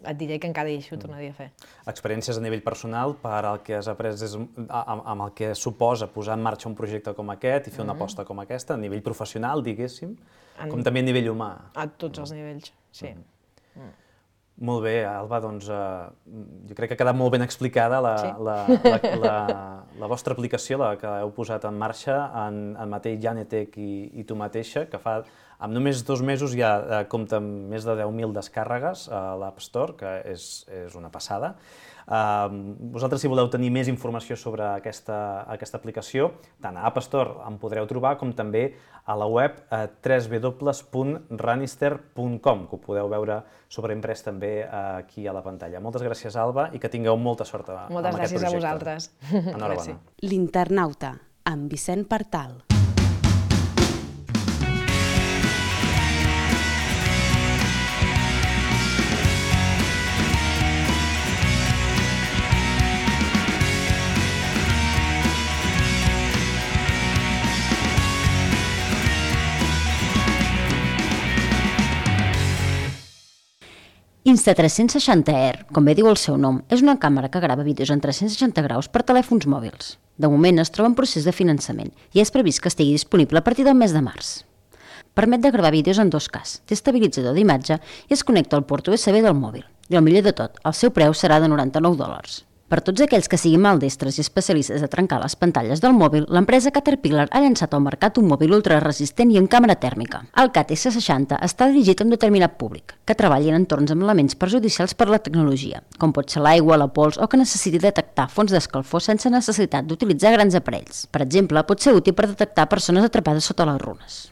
[SPEAKER 4] et diré que encara hi ho tornaria a fer.
[SPEAKER 3] Experiències a nivell personal per al que has après des, amb, amb el que suposa posar en marxa un projecte com aquest i fer una aposta com aquesta, a nivell professional, diguéssim,
[SPEAKER 4] En-
[SPEAKER 3] com també a nivell humà.
[SPEAKER 4] A tots els nivells, sí.
[SPEAKER 3] Molt bé, Alba, doncs eh, jo crec que ha quedat molt ben explicada la,
[SPEAKER 4] Sí.
[SPEAKER 3] la, la, la, la vostra aplicació, la que heu posat en marxa en, en Matei Janetec i, i tu mateixa, que fa, amb només dos mesos ja eh, compta amb més de deu mil descàrregues a l'App Store, que és, és una passada. Uh, vosaltres, si voleu tenir més informació sobre aquesta, aquesta aplicació, tant a App Store en podreu trobar, com també a la web uh, w w w punt ranister punt com, que ho podeu veure sobreimprès també uh, aquí a la pantalla. Moltes gràcies, Alba, i que tingueu molta sort a,
[SPEAKER 4] Moltes
[SPEAKER 3] amb aquest
[SPEAKER 4] gràcies a
[SPEAKER 3] projecte.
[SPEAKER 4] vosaltres.
[SPEAKER 3] Enhorabona.
[SPEAKER 4] Gràcies.
[SPEAKER 1] L'Internauta, amb Vicent Partal.
[SPEAKER 2] Insta tres-cents seixanta R, com bé diu el seu nom, és una càmera que grava vídeos en tres-cents seixanta graus per telèfons mòbils. De moment es troba en procés de finançament i és previst que estigui disponible a partir del mes de març. Permet de gravar vídeos en dos K, té estabilitzador d'imatge i es connecta al port U S B del mòbil. I el millor de tot, el seu preu serà de noranta-nou dòlars. Per tots aquells que siguin maldestres i especialistes a trencar les pantalles del mòbil, l'empresa Caterpillar ha llançat al mercat un mòbil ultraresistent i amb càmera tèrmica. El C A T S seixanta està dirigit a un determinat públic, que treballa en entorns amb elements perjudicials per a la tecnologia, com pot ser l'aigua, la pols o que necessiti detectar fonts d'escalfor sense necessitat d'utilitzar grans aparells. Per exemple, pot ser útil per detectar persones atrapades sota les runes.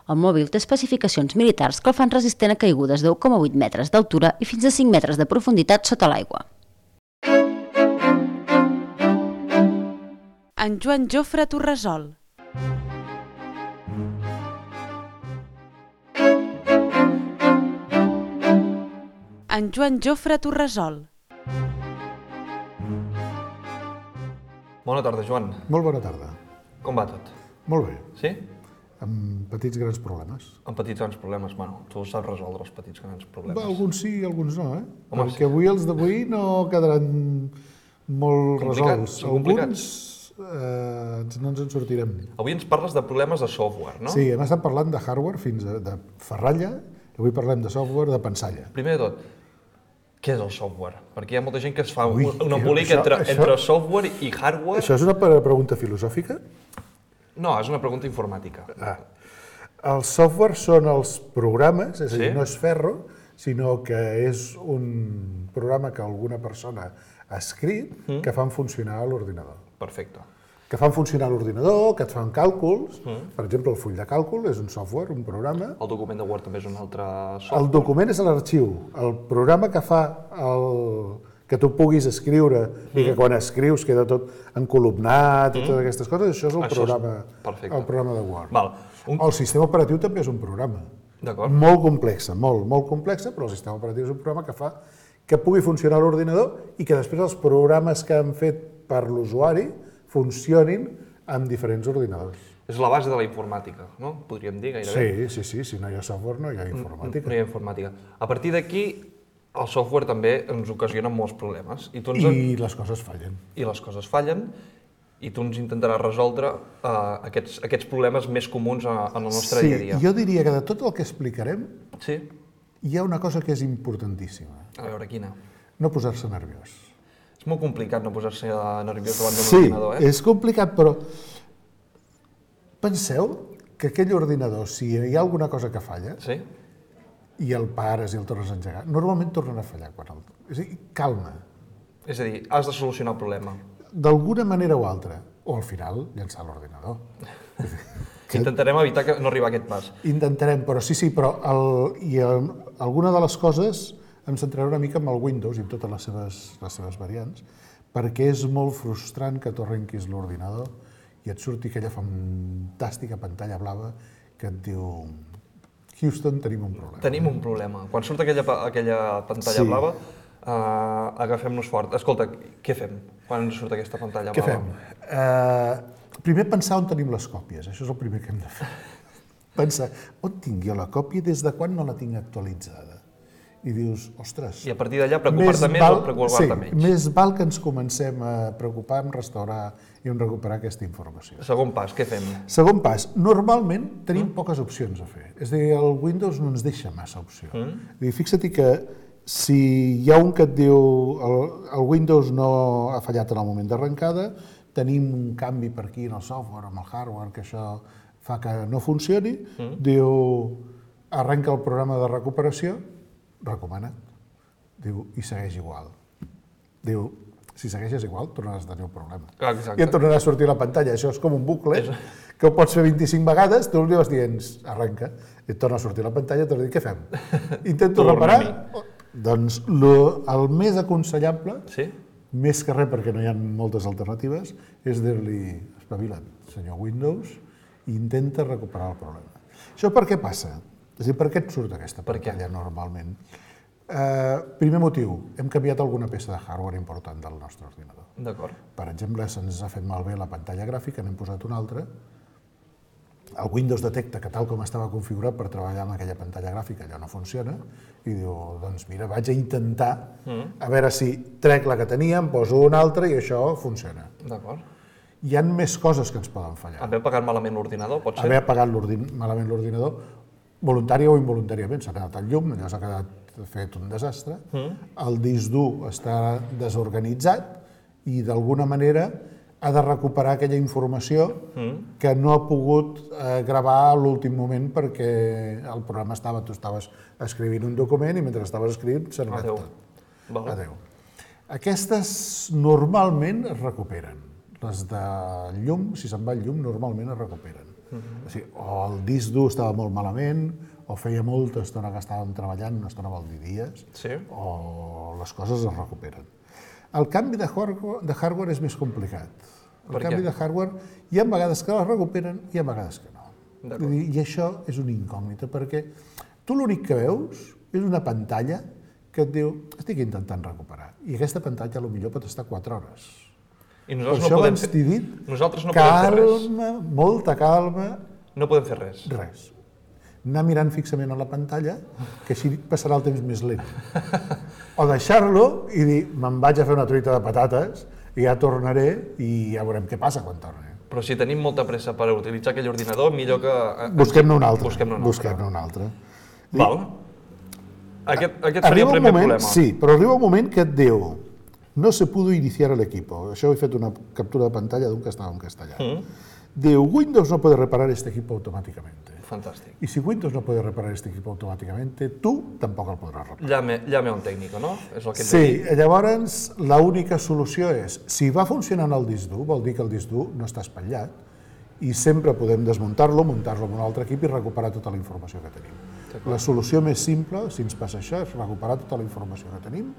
[SPEAKER 2] El mòbil té especificacions militars que el fan resistent a caigudes de u coma vuit metres d'altura i fins a cinc metres de profunditat sota l'aigua.
[SPEAKER 1] En Joan Jofre Torresol. En Joan Jofre Torresol.
[SPEAKER 5] Bona tarda, Joan.
[SPEAKER 6] Molt bona tarda.
[SPEAKER 5] Com va tot?
[SPEAKER 6] Molt bé.
[SPEAKER 5] Sí?
[SPEAKER 6] Amb petits grans problemes.
[SPEAKER 5] Amb petits grans problemes. Bueno, tu saps resoldre els petits grans problemes.
[SPEAKER 6] Va, alguns sí i alguns no, eh?
[SPEAKER 5] Home,
[SPEAKER 6] Perquè
[SPEAKER 5] sí.
[SPEAKER 6] avui els d'avui no quedaran molt
[SPEAKER 5] Complicats,
[SPEAKER 6] resolts.
[SPEAKER 5] són complicats.
[SPEAKER 6] Alguns eh, ens- no ens en sortirem.
[SPEAKER 5] Avui ens parles de problemes de software, no?
[SPEAKER 6] Sí, hem estat parlant de hardware fins a de ferralla, i avui parlem de software de pensalla.
[SPEAKER 5] Primer de tot, què és el software? Perquè hi ha molta gent que es fa
[SPEAKER 6] Ui,
[SPEAKER 5] un
[SPEAKER 6] això-
[SPEAKER 5] embolic
[SPEAKER 6] això-
[SPEAKER 5] entre,
[SPEAKER 6] això-
[SPEAKER 5] entre software i hardware.
[SPEAKER 6] Això és una pre- pregunta filosòfica?
[SPEAKER 5] No, és una pregunta informàtica.
[SPEAKER 6] Ah. Els software són els programes, és a dir,
[SPEAKER 5] Sí.
[SPEAKER 6] no és ferro, sinó que és un programa que alguna persona ha escrit
[SPEAKER 5] Mm.
[SPEAKER 6] que fan funcionar l'ordinador.
[SPEAKER 5] Perfecte.
[SPEAKER 6] Que fan funcionar l'ordinador, que et fan càlculs. Per exemple, el full de càlcul és un software, un programa.
[SPEAKER 5] El document de Word també és un altre software.
[SPEAKER 6] El document és l'arxiu. El programa que fa el... que tu puguis escriure i que quan escrius queda tot encolumnat i totes aquestes coses, això és el,
[SPEAKER 5] Això és
[SPEAKER 6] programa,
[SPEAKER 5] perfecte.
[SPEAKER 6] el programa de Word.
[SPEAKER 5] Val. Un...
[SPEAKER 6] El sistema operatiu també és un programa.
[SPEAKER 5] D'acord.
[SPEAKER 6] Molt complexa, molt, molt complexa, però el sistema operatiu és un programa que fa que pugui funcionar l'ordinador i que després els programes que han fet per l'usuari funcionin amb diferents ordinadors.
[SPEAKER 5] És la base de la informàtica, no? Podríem dir gairebé.
[SPEAKER 6] Sí, sí, sí, si no hi ha software no hi ha informàtica.
[SPEAKER 5] No hi ha informàtica. A partir d'aquí, el software també ens ocasiona molts problemes. I, tu ens...
[SPEAKER 6] I les coses fallen.
[SPEAKER 5] I les coses fallen, i tu ens intentaràs resoldre uh, aquests, aquests problemes més comuns a, en el nostre
[SPEAKER 6] Sí,
[SPEAKER 5] dia a dia.
[SPEAKER 6] jo diria que de tot el que explicarem
[SPEAKER 5] Sí?
[SPEAKER 6] hi ha una cosa que és importantíssima.
[SPEAKER 5] A veure, quina?
[SPEAKER 6] No posar-se nerviós.
[SPEAKER 5] És molt complicat no posar-se nerviós davant d'un
[SPEAKER 6] Sí,
[SPEAKER 5] ordinador, eh?
[SPEAKER 6] és complicat, però penseu que aquell ordinador, si hi ha alguna cosa que falla,
[SPEAKER 5] Sí?
[SPEAKER 6] i el pares i el tornes a engegar, normalment tornen a fallar. Quan el... És a dir, calma,
[SPEAKER 5] És a dir, has de solucionar el problema.
[SPEAKER 6] d'alguna manera o altra, o al final llançar l'ordinador.
[SPEAKER 5] Intentarem evitar que no arribar a aquest pas.
[SPEAKER 6] Intentarem, però sí, sí, però el, i el, alguna de les coses em centraré una mica amb el Windows i amb totes les seves, les seves variants, perquè és molt frustrant que tu arrenquis l'ordinador i et surti aquella fantàstica pantalla blava que et diu Houston, tenim un problema.
[SPEAKER 5] Tenim un problema. Quan surt aquella, pa- aquella pantalla
[SPEAKER 6] Sí.
[SPEAKER 5] blava, uh, agafem-nos fort. Escolta, què fem quan ens surt aquesta pantalla
[SPEAKER 6] Què
[SPEAKER 5] blava?
[SPEAKER 6] fem? Uh, primer pensar on tenim les còpies, això és el primer que hem de fer. Pensar, on tinc jo la còpia i des de quan no la tinc actualitzada? i dius, ostres...
[SPEAKER 5] I a partir d'allà preocupar-te més o preocupar-te menys.
[SPEAKER 6] Sí, més val que ens comencem a preocupar en restaurar i en recuperar aquesta informació.
[SPEAKER 5] Segon pas, què fem?
[SPEAKER 6] Segon pas, normalment tenim poques opcions a fer. És a dir, el Windows no ens deixa massa opció. Mm. Fixa't que si hi ha un que et diu el, el Windows no ha fallat en el moment d'arrencada, tenim un canvi per aquí en el software, amb el hardware, que això fa que no funcioni, mm. diu, arrenca el programa de recuperació, recomanat, diu, i segueix igual. Diu, si segueixes igual, tornaràs a tenir un problema.
[SPEAKER 5] Exacte.
[SPEAKER 6] I et tornarà a sortir la pantalla. Això és com un bucle, és... que ho pots fer vint-i-cinc vegades, tu li vas dient, arrenca, i et torna a sortir la pantalla, i torna a dir, què fem? Intento reparar? Doncs lo, el més aconsellable,
[SPEAKER 5] sí?
[SPEAKER 6] més que res perquè no hi ha moltes alternatives, és dir-li, espavila't, senyor Windows, i intenta recuperar el problema. Això per què passa? És a dir, per què et surt aquesta pantalla normalment? Uh, primer motiu, hem canviat alguna peça de hardware important del nostre ordinador.
[SPEAKER 5] D'acord.
[SPEAKER 6] Per exemple, se'ns ha fet malbé la pantalla gràfica, n'hem posat una altra. El Windows detecta que tal com estava configurat per treballar amb aquella pantalla gràfica allò no funciona i diu, doncs mira, vaig a intentar mm. a veure si trec la que tenia, em poso una altra i això funciona.
[SPEAKER 5] D'acord.
[SPEAKER 6] Hi ha més coses que ens poden fallar.
[SPEAKER 5] Haver apagat malament l'ordinador, pot ser?
[SPEAKER 6] Haver apagat malament l'ordinador, voluntari o involuntàriament, s'ha quedat el llum, allò s'ha quedat fet un desastre, mm. el disc dur està desorganitzat i d'alguna manera ha de recuperar aquella informació mm. que no ha pogut eh, gravar a l'últim moment perquè el programa estava, tu estaves escrivint un document i mentre estaves escrivint s'ha anat tot.
[SPEAKER 5] Vale.
[SPEAKER 6] Adéu. Aquestes normalment es recuperen. Les de llum, si se'n va el llum, normalment es recuperen. Mm-hmm. O sigui, o el disc dur estava molt malament, o feia molta estona que estàvem treballant, una estona vol dir dies,
[SPEAKER 5] sí.
[SPEAKER 6] o les coses es recuperen. El canvi de hardware, de hardware és més complicat. El
[SPEAKER 5] per
[SPEAKER 6] canvi
[SPEAKER 5] què?
[SPEAKER 6] de hardware hi ha vegades que les recuperen i hi ha vegades que no. I, I això és una incògnita, perquè tu l'únic que veus és una pantalla que et diu estic intentant recuperar, i aquesta pantalla potser pot estar quatre hores.
[SPEAKER 5] I
[SPEAKER 6] per
[SPEAKER 5] nosaltres
[SPEAKER 6] això
[SPEAKER 5] no podem
[SPEAKER 6] abans
[SPEAKER 5] fer...
[SPEAKER 6] t'he dit,
[SPEAKER 5] nosaltres no podem fer res.
[SPEAKER 6] calma, molta calma.
[SPEAKER 5] No podem fer res.
[SPEAKER 6] Res. Anar mirant fixament a la pantalla, que així passarà el temps més lent. O deixar-lo i dir, me'n vaig a fer una truita de patates i ja tornaré i ja veurem què passa quan torni.
[SPEAKER 5] Però si tenim molta pressa per utilitzar aquell ordinador, millor que...
[SPEAKER 6] Busquem-ne un altre.
[SPEAKER 5] Busquem-ne un altre.
[SPEAKER 6] Busquem-ne un altre.
[SPEAKER 5] Val. Aquest, aquest seria el primer
[SPEAKER 6] moment,
[SPEAKER 5] problema.
[SPEAKER 6] Sí, però arriba un moment que et diu no se pudo iniciar el equipo. Això he fet una captura de pantalla d'un que estava en castellà. Mm. Diu, Windows no puede reparar este equipo automáticamente.
[SPEAKER 5] Fantàstic.
[SPEAKER 6] Y si Windows no puede reparar este equipo automáticamente, tú tampoc el podràs reparar.
[SPEAKER 5] Llame, llame a un tècnico, no? És el que hem
[SPEAKER 6] Sí,
[SPEAKER 5] de dir.
[SPEAKER 6] llavors l'única solució és, si va funcionant el disc dur, vol dir que el disc dur no està espatllat, i sempre podem desmuntar-lo, muntar-lo en un altre equip i recuperar tota la informació que tenim. La solució més simple, si ens passa això, és recuperar tota la informació que tenim,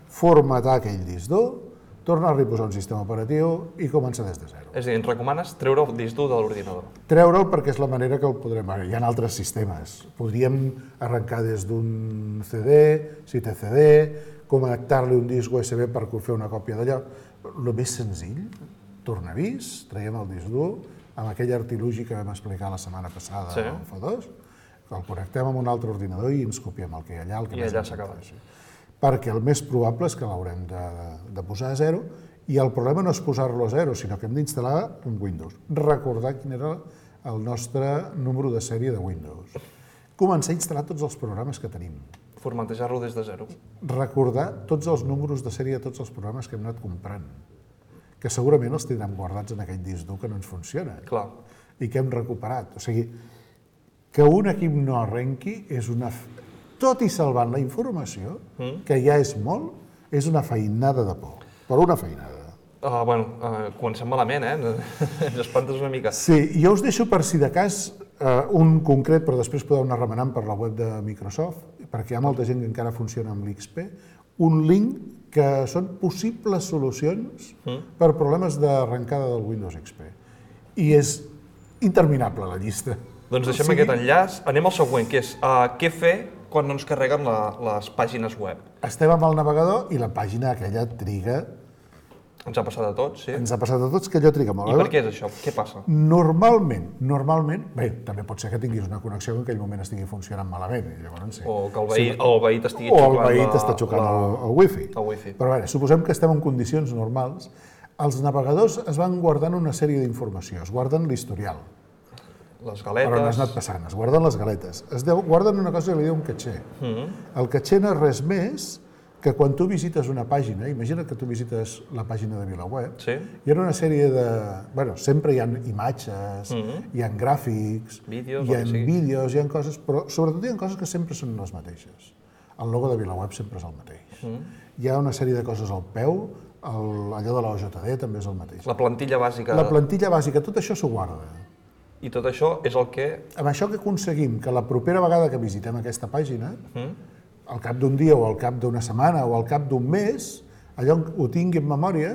[SPEAKER 6] formatar aquell disc dur, tornar-li a posar un sistema operatiu i començar des de zero.
[SPEAKER 5] És a dir, ens recomanes treure el disc dur de l'ordinador.
[SPEAKER 6] Treure'l perquè és la manera que el podrem... Hi ha altres sistemes. Podríem arrencar des d'un C D, si té C D, connectar-li un disc U S B per fer una còpia d'allò. El més senzill, tornavís, traiem el disc dur, amb aquell artilugi que vam explicar la setmana passada
[SPEAKER 5] sí.
[SPEAKER 6] al F dos, el connectem amb un altre ordinador i ens copiem el que hi ha allà. El que
[SPEAKER 5] I allà s'acaba.
[SPEAKER 6] Perquè el més probable és que l'haurem de, de posar a zero, i el problema no és posar-lo a zero, sinó que hem d'instal·lar un Windows. Recordar quin era el nostre número de sèrie de Windows. Començar a instal·lar tots els programes que tenim.
[SPEAKER 5] Formatejar-lo des de zero.
[SPEAKER 6] Recordar tots els números de sèrie de tots els programes que hem anat comprant, que segurament els tindrem guardats en aquell disc dur que no ens funciona.
[SPEAKER 5] Clar.
[SPEAKER 6] I que hem recuperat. O sigui, que un equip no arrenqui és una... Tot i salvant la informació, mm. que ja és molt, és una feinada de por. Però una feinada.
[SPEAKER 5] Uh, bueno, uh, comencem malament, eh? Ens espantes una mica.
[SPEAKER 6] Sí, jo us deixo per si de cas uh, un concret, però després podeu anar remenant per la web de Microsoft, perquè hi ha molta gent que encara funciona amb l'X P, un link que són possibles solucions mm. per problemes d'arrencada del Windows X P. I és interminable la llista.
[SPEAKER 5] Doncs deixem o sigui... aquest enllaç. Anem al següent, que és uh, què fer quan no ens carreguen la, les pàgines web.
[SPEAKER 6] Estem amb el navegador i la pàgina aquella triga
[SPEAKER 5] Ens ha passat a tots, sí.
[SPEAKER 6] Ens ha passat a tots que allò triga molt.
[SPEAKER 5] I per què és això? Què passa?
[SPEAKER 6] Normalment, normalment, bé, també pot ser que tinguis una connexió que en aquell moment estigui funcionant malament. I llavors, sí.
[SPEAKER 5] O que el veí, sí. el veí t'estigui
[SPEAKER 6] xocant.
[SPEAKER 5] xocant.
[SPEAKER 6] O el veí t'està xocant la, el, el wifi.
[SPEAKER 5] El wifi.
[SPEAKER 6] Però bé, suposem que estem en condicions normals. Els navegadors es van guardant una sèrie d'informació, es guarden l'historial.
[SPEAKER 5] Les galetes...
[SPEAKER 6] Però no has anat passant, es guarden les galetes. Es deu, guarden una cosa que li diu un caché. Mm -hmm. El caché no és res més que quan tu visites una pàgina, imagina't que tu visites la pàgina de VilaWeb,
[SPEAKER 5] sí.
[SPEAKER 6] hi ha una sèrie de... Bueno, sempre hi ha imatges, mm-hmm. hi ha gràfics,
[SPEAKER 5] vídeos,
[SPEAKER 6] hi ha vídeos, hi ha coses, però sobretot hi ha coses que sempre són les mateixes. El logo de VilaWeb sempre és el mateix. Mm-hmm. Hi ha una sèrie de coses al peu, el, allò de la O J D també és el mateix.
[SPEAKER 5] La plantilla bàsica...
[SPEAKER 6] La plantilla bàsica, tot això s'ho guarda.
[SPEAKER 5] I tot això és el que...
[SPEAKER 6] Amb això que aconseguim que la propera vegada que visitem aquesta pàgina, mm. al cap d'un dia o al cap d'una setmana o al cap d'un mes, allò ho tingui en memòria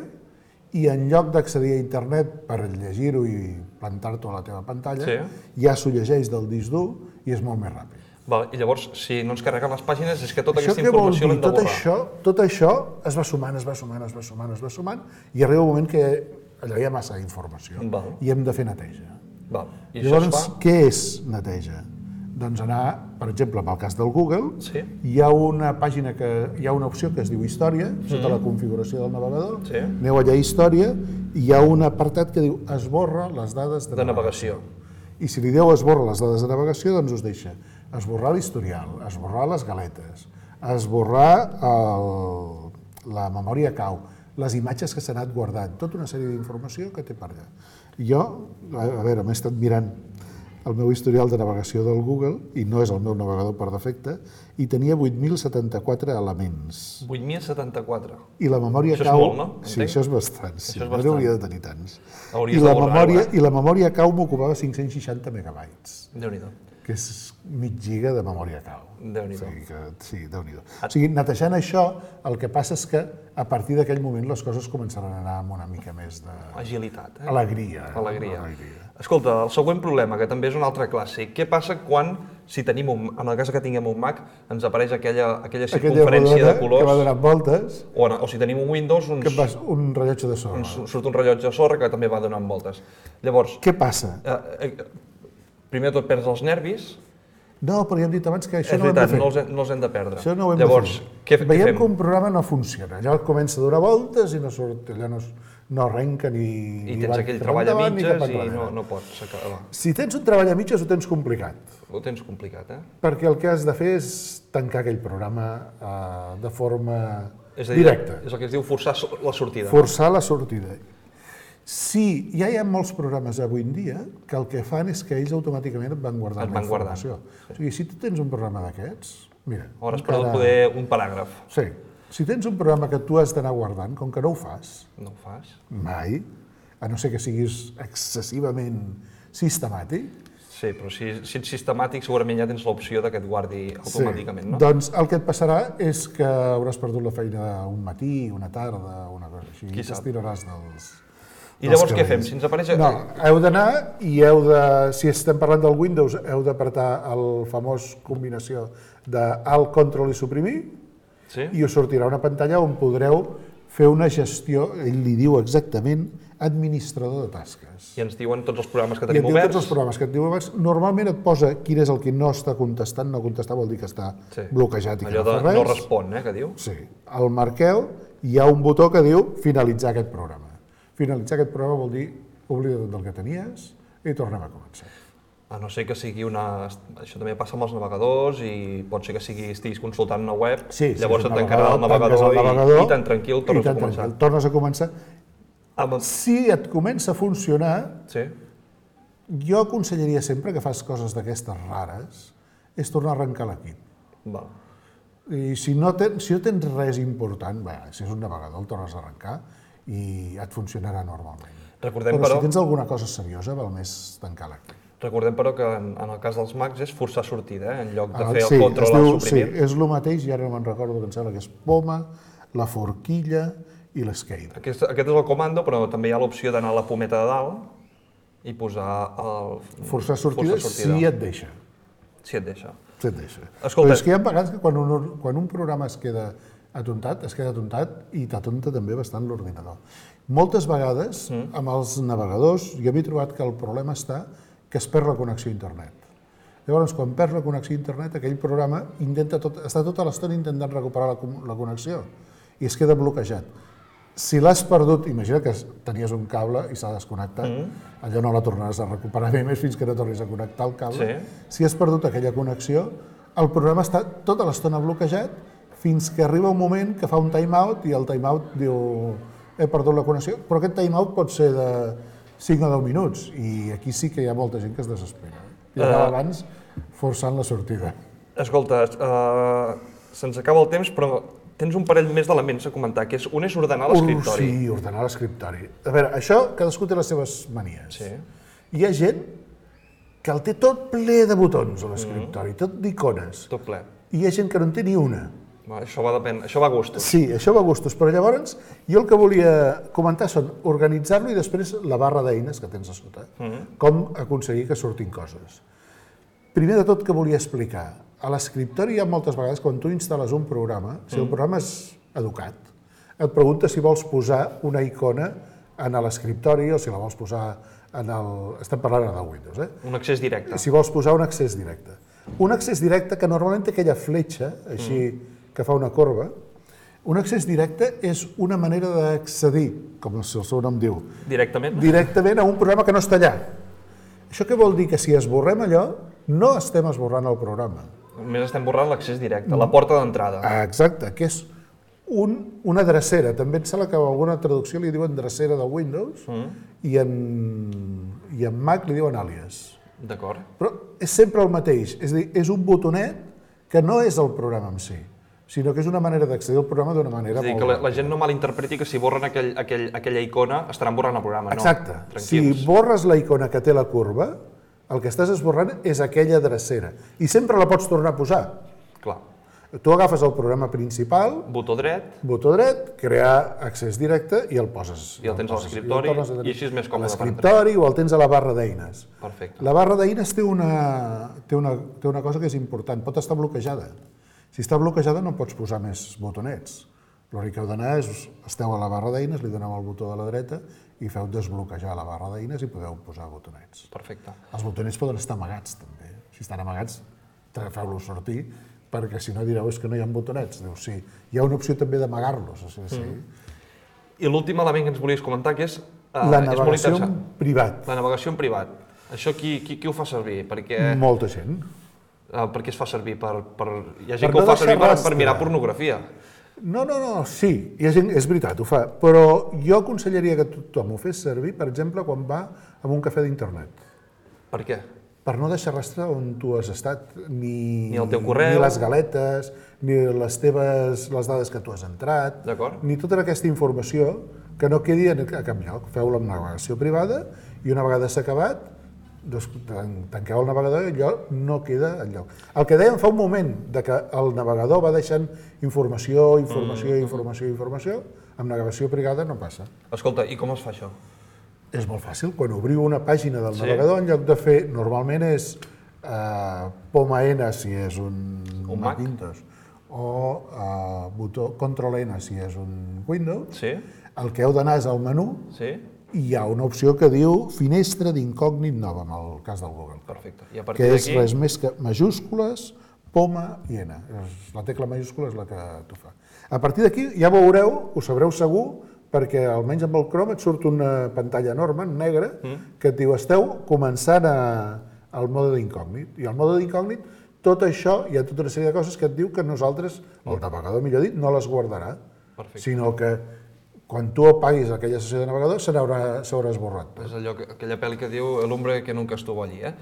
[SPEAKER 6] i en lloc d'accedir a internet per llegir-ho i plantar-t'ho a la teva pantalla, sí. ja s'ho llegeix del disc dur i és molt més ràpid.
[SPEAKER 5] Val, i llavors, si no ens carreguen les pàgines, és que tota
[SPEAKER 6] això
[SPEAKER 5] aquesta informació l'hem de
[SPEAKER 6] tot
[SPEAKER 5] borrar.
[SPEAKER 6] Això, tot això es va sumant, es va sumant, es va sumant, es va sumant, i arriba un moment que allò hi ha massa informació
[SPEAKER 5] Val.
[SPEAKER 6] i hem de fer neteja.
[SPEAKER 5] Val. I
[SPEAKER 6] llavors,
[SPEAKER 5] això es fa...
[SPEAKER 6] què és neteja? Doncs anar, per exemple, pel cas del Google,
[SPEAKER 5] sí.
[SPEAKER 6] hi ha una pàgina que hi ha una opció que es diu Història, sota mm. la configuració del navegador,
[SPEAKER 5] sí.
[SPEAKER 6] aneu allà a Història, i hi ha un apartat que diu esborra les dades de,
[SPEAKER 5] de
[SPEAKER 6] navegació.
[SPEAKER 5] navegació.
[SPEAKER 6] I si li dieu esborra les dades de navegació, doncs us deixa esborrar l'historial, esborrar les galetes, esborrar el, la memòria cau, les imatges que s'han anat guardant, tota una sèrie d'informació que té per allà. Jo, a veure, m'he estat mirant el meu historial de navegació del Google, i no és el meu navegador per defecte, i tenia vuit mil setanta-quatre elements.
[SPEAKER 5] vuit mil setanta-quatre.
[SPEAKER 6] I la memòria
[SPEAKER 5] això
[SPEAKER 6] cau...
[SPEAKER 5] Això és molt, no?
[SPEAKER 6] Sí, això és bastant. Sí.
[SPEAKER 5] Això és bastant.
[SPEAKER 6] No hauria de tenir tants.
[SPEAKER 5] Hauries
[SPEAKER 6] I la,
[SPEAKER 5] borrar,
[SPEAKER 6] memòria,
[SPEAKER 5] eh?
[SPEAKER 6] I la memòria cau m'ocupava cinc-cents seixanta megabytes.
[SPEAKER 5] Déu-n'hi-do.
[SPEAKER 6] Que és mig giga de memòria cau.
[SPEAKER 5] Déu-n'hi-do.
[SPEAKER 6] O sigui, que, sí, Déu-n'hi-do. O sigui, netejant això, el que passa és que a partir d'aquell moment les coses començaran a anar amb una mica més de...
[SPEAKER 5] Agilitat, eh?
[SPEAKER 6] Alegria.
[SPEAKER 5] Alegria.
[SPEAKER 6] Alegria.
[SPEAKER 5] Escolta, el següent problema, que també és un altre clàssic. Què passa quan, si tenim un, en el cas que tinguem un Mac, ens apareix aquella, aquella circunferència
[SPEAKER 6] aquella
[SPEAKER 5] de colors...
[SPEAKER 6] que va donant voltes.
[SPEAKER 5] O, o si tenim un Windows, uns,
[SPEAKER 6] que vas, un rellotge de sorra.
[SPEAKER 5] Uns, surt un rellotge de sorra que també va donant voltes. Llavors...
[SPEAKER 6] Què passa?
[SPEAKER 5] Eh, eh, primer de tot perds els nervis.
[SPEAKER 6] No, però ja hem dit abans que això
[SPEAKER 5] és
[SPEAKER 6] no
[SPEAKER 5] veritat,
[SPEAKER 6] ho hem de fer.
[SPEAKER 5] No els, hem, no els hem de perdre.
[SPEAKER 6] Això no ho hem
[SPEAKER 5] Llavors,
[SPEAKER 6] de fer.
[SPEAKER 5] Què, què
[SPEAKER 6] Veiem
[SPEAKER 5] fem?
[SPEAKER 6] que un programa no funciona. Allò comença a donar voltes i no surt, allò no, no arrenca ni...
[SPEAKER 5] I tens aquell treball a mitges i no, no pots acabar.
[SPEAKER 6] Si tens un treball a mitges ho tens complicat.
[SPEAKER 5] Ho tens complicat, eh?
[SPEAKER 6] Perquè el que has de fer és tancar aquell programa eh, de forma
[SPEAKER 5] és a dir,
[SPEAKER 6] directa.
[SPEAKER 5] És el que es diu forçar la sortida.
[SPEAKER 6] Forçar la sortida. Sí, ja hi ha molts programes avui en dia que el que fan és que ells automàticament et van guardant la informació. Sí. O sigui, si tu tens un programa d'aquests, mira...
[SPEAKER 5] Hores per encara... poder un paràgraf.
[SPEAKER 6] Sí. Si tens un programa que tu has d'anar guardant, com que no ho fas...
[SPEAKER 5] No ho fas.
[SPEAKER 6] Mai, a no ser que siguis excessivament sistemàtic.
[SPEAKER 5] Sí, però si, si ets sistemàtic segurament ja tens l'opció que et guardi automàticament,
[SPEAKER 6] sí.
[SPEAKER 5] no?
[SPEAKER 6] Doncs el que et passarà és que hauràs perdut la feina un matí, una tarda, una cosa així.
[SPEAKER 5] Qui
[SPEAKER 6] i t'estiraràs dels...
[SPEAKER 5] I llavors què fem? Si ens apareix...
[SPEAKER 6] No, heu d'anar i heu de, si estem parlant del Windows, heu d'apretar el famós combinació de Alt, Control i suprimir,
[SPEAKER 5] sí?
[SPEAKER 6] I us sortirà una pantalla on podreu fer una gestió, ell li diu exactament, administrador de tasques.
[SPEAKER 5] I ens diuen tots els programes que
[SPEAKER 6] I
[SPEAKER 5] tenim
[SPEAKER 6] et diu
[SPEAKER 5] oberts.
[SPEAKER 6] tots els programes que tenim oberts. Normalment et posa quin és el que no està contestant, no contestar vol dir que està
[SPEAKER 5] sí.
[SPEAKER 6] bloquejat i que
[SPEAKER 5] allò
[SPEAKER 6] no fa res.
[SPEAKER 5] no respon, eh, que diu?
[SPEAKER 6] Sí. El marqueu, hi ha un botó que diu finalitzar aquest programa. Finalitzar aquest programa vol dir oblida tot del que tenies i tornem a començar.
[SPEAKER 5] A no ser que sigui una... Això també passa amb els navegadors i pot ser que sigui, estiguis consultant una web,
[SPEAKER 6] sí, sí,
[SPEAKER 5] llavors et tancarà el
[SPEAKER 6] navegador,
[SPEAKER 5] navegador,
[SPEAKER 6] el navegador
[SPEAKER 5] i, i tan tranquil tornes
[SPEAKER 6] tan
[SPEAKER 5] a començar.
[SPEAKER 6] Tranquil, tornes a començar.
[SPEAKER 5] Amb...
[SPEAKER 6] Si et comença a funcionar,
[SPEAKER 5] sí.
[SPEAKER 6] jo aconsellaria sempre que fas coses d'aquestes rares, és tornar a arrencar l'equip.
[SPEAKER 5] Val.
[SPEAKER 6] I si no, ten, si no tens res important, bé, si és un navegador el tornes a arrencar i et funcionarà normalment.
[SPEAKER 5] Recordem,
[SPEAKER 6] però,
[SPEAKER 5] però
[SPEAKER 6] si tens alguna cosa seriosa, val més tancar l'equip.
[SPEAKER 5] Recordem, però, que en, en el cas dels Macs és forçar sortida, eh? En lloc de
[SPEAKER 6] ah,
[SPEAKER 5] fer
[SPEAKER 6] sí,
[SPEAKER 5] el control al suprimir.
[SPEAKER 6] Sí, és el mateix, i ara no me'n recordo, que em sembla que és poma, la forquilla i l'escape.
[SPEAKER 5] Aquest, aquest és el comando, però també hi ha l'opció d'anar a la pometa de dalt i posar el...
[SPEAKER 6] Forçar sortida, forçar sortida. Si et deixa.
[SPEAKER 5] Si et deixa.
[SPEAKER 6] Si et deixa.
[SPEAKER 5] Escolta...
[SPEAKER 6] Però és que hi ha vegades que quan un, quan un programa es queda atontat, es queda atontat i t'atonta també bastant l'ordinador. Moltes vegades, amb els navegadors, jo m'he trobat que el problema està que es perd la connexió a internet. Llavors, quan perds la connexió a internet, aquell programa intenta tot, està tota l'estona intentant recuperar la, la connexió i es queda bloquejat. Si l'has perdut, imagina que tenies un cable i s'ha desconnectat, mm. allò no la tornaràs a recuperar bé més fins que no tornis a connectar el cable. Sí. Si has perdut aquella connexió, el programa està tota l'estona bloquejat fins que arriba un moment que fa un timeout i el timeout diu he perdut la connexió, però aquest timeout pot ser de cinc o deu minuts i aquí sí que hi ha molta gent que es desespera. I acaba abans forçant la sortida.
[SPEAKER 5] Escolta, uh, se'ns acaba el temps, però tens un parell més d'elements a comentar, que és, un és ordenar l'escriptori.
[SPEAKER 6] Sí, ordenar l'escriptori. A veure, això cadascú té les seves manies.
[SPEAKER 5] Sí.
[SPEAKER 6] Hi ha gent que el té tot ple de botons a l'escriptori, mm. tot d'icones.
[SPEAKER 5] Tot ple.
[SPEAKER 6] I hi ha gent que no en té ni una.
[SPEAKER 5] Va, això, va depèn, això va a gustos.
[SPEAKER 6] Sí, això va a gustos, però llavors jo el que volia comentar són organitzar-lo i després la barra d'eines que tens a sota, mm. com aconseguir que surtin coses. Primer de tot que volia explicar, a l'escriptori hi ha moltes vegades, quan tu instal·les un programa, si el programa és educat, et pregunta si vols posar una icona en l'escriptori o si la vols posar en el... Estem parlant ara del Windows, eh?
[SPEAKER 5] Un accés directe.
[SPEAKER 6] Si vols posar un accés directe. Un accés directe que normalment té aquella fletxa, així, mm. que fa una corba. Un accés directe és una manera d'accedir, com el seu nom diu.
[SPEAKER 5] Directament?
[SPEAKER 6] Directament a un programa que no està allà. Això què vol dir? Que si esborrem allò, no estem esborrant el programa.
[SPEAKER 5] Només estem borrant l'accés directe, la porta d'entrada.
[SPEAKER 6] Exacte, que és un, una drecera. També em sembla que a alguna traducció li diuen drecera de Windows mm. i, en, i en Mac li diuen àlies.
[SPEAKER 5] D'acord.
[SPEAKER 6] Però és sempre el mateix, és a dir, és un botonet que no és el programa en si, sinó que és una manera d'accedir al programa d'una manera molt...
[SPEAKER 5] És a dir, que la, la gent no malinterpreti que si borren aquell, aquell, aquella icona estaran borrant el programa,
[SPEAKER 6] Exacte.
[SPEAKER 5] no? Exacte.
[SPEAKER 6] Si borres la icona que té la curva, el que estàs esborrant és aquella drecera. I sempre la pots tornar a posar.
[SPEAKER 5] Clar.
[SPEAKER 6] Tu agafes el programa principal,
[SPEAKER 5] botó dret,
[SPEAKER 6] botó dret, crear accés directe i el poses.
[SPEAKER 5] I el tens a l'escriptori i així és més còmode.
[SPEAKER 6] A l'escriptori o el tens a la barra d'eines.
[SPEAKER 5] Perfecte.
[SPEAKER 6] La barra d'eines té una, té, una, té una cosa que és important, pot estar bloquejada. Si està bloquejada no pots posar més botonets. L'únic que heu d'anar és, esteu a la barra d'eines, li doneu el botó de la dreta i feu desbloquejar la barra d'eines i podeu posar botonets.
[SPEAKER 5] Perfecte.
[SPEAKER 6] Els botonets poden estar amagats també. Si estan amagats, feu-los sortir, perquè si no direu és que no hi ha botonets. Diu, sí, hi ha una opció també d'amagar-los. Sí, sí.
[SPEAKER 5] Mm. I l'últim element que ens volies comentar, que és... Uh,
[SPEAKER 6] la navegació en privat.
[SPEAKER 5] La navegació en privat. Això qui, qui, qui ho fa servir? Perquè...
[SPEAKER 6] Molta gent.
[SPEAKER 5] Uh, per què es fa servir? Per, per... Hi ha gent per que ho fa servir per, per mirar pornografia.
[SPEAKER 6] No, no, no, sí, hi ha gent, és veritat, ho fa, però jo aconsellaria que tothom ho fes servir, per exemple, quan va a un cafè d'internet.
[SPEAKER 5] Per què?
[SPEAKER 6] Per no deixar rastre on tu has estat, ni,
[SPEAKER 5] ni el teu correu,
[SPEAKER 6] ni les galetes, ni les teves, les dades que tu has entrat, ni tota aquesta informació que no quedi a cap lloc. Feu-la amb navegació privada i una vegada s'ha acabat, tanqueu el navegador i allò no queda enlloc. El que dèiem fa un moment, de que el navegador va deixant informació, informació, mm. informació, informació, amb navegació privada no passa.
[SPEAKER 5] Escolta, i com es fa això?
[SPEAKER 6] És molt fàcil. Quan obriu una pàgina del sí. navegador, en lloc de fer, normalment és eh, poma N si és un,
[SPEAKER 5] un
[SPEAKER 6] Macintosh, o eh, botó control N si és un Windows,
[SPEAKER 5] sí.
[SPEAKER 6] el que heu d'anar és al menú, sí. i hi ha una opció que diu finestra d'incògnit nova, en el cas del Google.
[SPEAKER 5] Perfecte. I a partir
[SPEAKER 6] que és
[SPEAKER 5] d'aquí...
[SPEAKER 6] res més que majúscules, poma i N. La tecla majúscula és la que t'ho fa. A partir d'aquí ja veureu, ho sabreu segur, perquè almenys amb el Chrome et surt una pantalla enorme, negra, mm. que et diu esteu començant a, al mode d'incògnit. I al mode d'incògnit, tot això, hi ha tota una sèrie de coses que et diu que nosaltres, el navegador millor dit, no les guardarà, Perfecte. sinó que quan tu apaguis aquella sessió de navegador s'haurà esborrat.
[SPEAKER 5] És allò, aquella pel·li que diu el hombre que nunca estuvo allí, eh?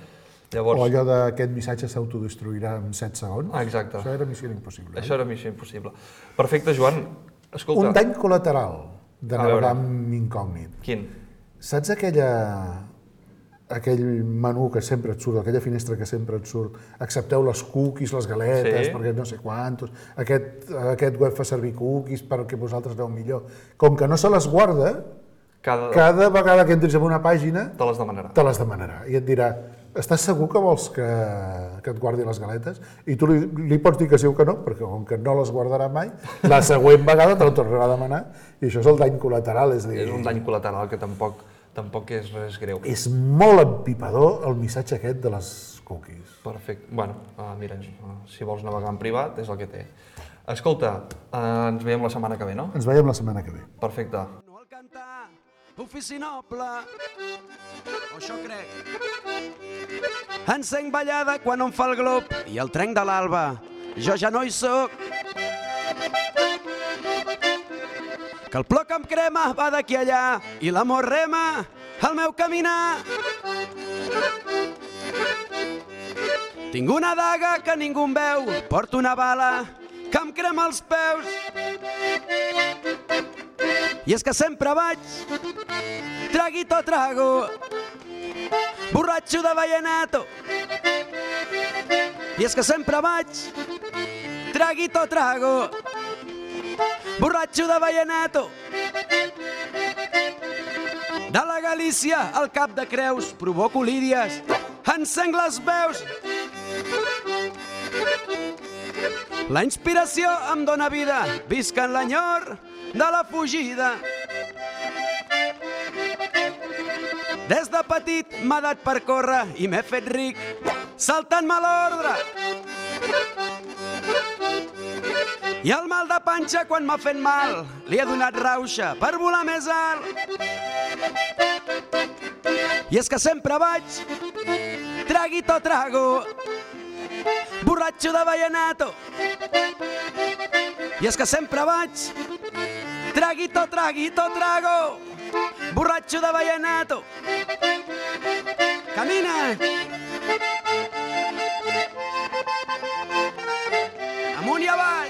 [SPEAKER 5] Llavors...
[SPEAKER 6] O allò d'aquest missatge s'autodestruirà en set segons.
[SPEAKER 5] Ah, exacte.
[SPEAKER 6] Això era missió impossible.
[SPEAKER 5] Això era missió impossible. Perfecte, Joan. Escolta...
[SPEAKER 6] Un dany col·lateral de navegar amb incògnit.
[SPEAKER 5] Quin?
[SPEAKER 6] Saps aquella... aquell menú que sempre et surt, aquella finestra que sempre et surt, accepteu les cookies, les galetes, sí. perquè no sé quantos, aquest, aquest web fa servir cookies perquè vosaltres aneu millor. Com que no se les guarda, cada, cada vegada que entris en una pàgina,
[SPEAKER 5] te les demanarà.
[SPEAKER 6] Te les demanarà. I et dirà, estàs segur que vols que, que et guardi les galetes? I tu li, li pots dir que sí o que no, perquè com que no les guardarà mai, la següent vegada te la tornarà a demanar i això és el dany col·lateral. És, dir,
[SPEAKER 5] És un dany col·lateral que tampoc, tampoc és res greu.
[SPEAKER 6] És molt empipador el missatge aquest de les cookies.
[SPEAKER 5] Perfecte. Bueno, uh, mira, uh, si vols navegar en privat és el que té. Escolta, uh, ens veiem la setmana que ve, no?
[SPEAKER 6] Ens veiem la setmana que ve.
[SPEAKER 5] Perfecte.
[SPEAKER 7] No el cantar, ofici noble, o això crec. Encenc ballada quan em fa el glob i el trenc de l'alba. Jo ja no hi soc. Que el ploc amb crema va d'aquí allà i l'amor rema el meu caminar. Tinc una daga que ningú em veu, porto una bala que em crema els peus. I és que sempre vaig, traguito trago, borratxo de vallenato. I és que sempre vaig, traguito trago, borratxo de vallenato. De la Galícia al Cap de Creus provoco lídies, encenc les veus. La inspiració em dóna vida, visc en l'enyor de la fugida. Des de petit m'ha dat per córrer i m'he fet ric, saltant-me l'ordre. I el mal de panxa quan m'ha fet mal, li he donat rauxa per volar més alt. I és que sempre vaig, traguito trago, borratxo de vallenato. I és que sempre vaig, traguito, traguito, trago, borratxo de vallenato. Camina! Amunt i avall!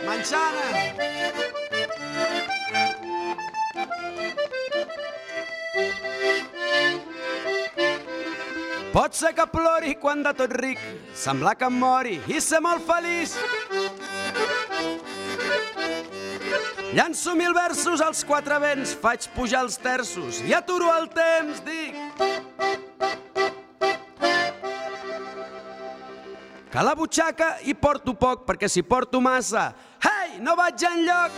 [SPEAKER 7] Manxana! Pot ser que plori quan de tot ric, semblar que em mori i ser molt feliç. Llanço mil versos als quatre vents, faig pujar els terços i aturo el temps, dic. Que a la butxaca hi porto poc, perquè si porto massa, hei, no vaig enlloc.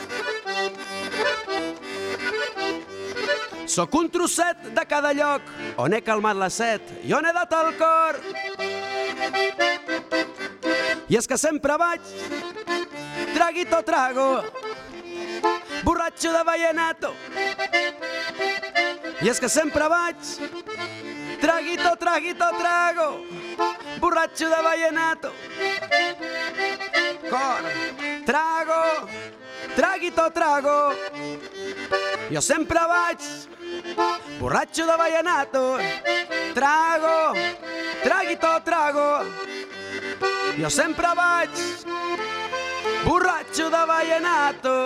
[SPEAKER 7] Sóc un trosset de cada lloc, on he calmat la set i on he dat el cor. I és que sempre vaig, traguito trago, borratxo de vallenato. I és que sempre vaig, traguito, traguito, trago, borratxo de vallenato. Cor, trago, traguito, trago. Jo sempre vaig, borratxo de vallenato. Trago, traguito, trago. Jo sempre vaig, borratxo de vallenato.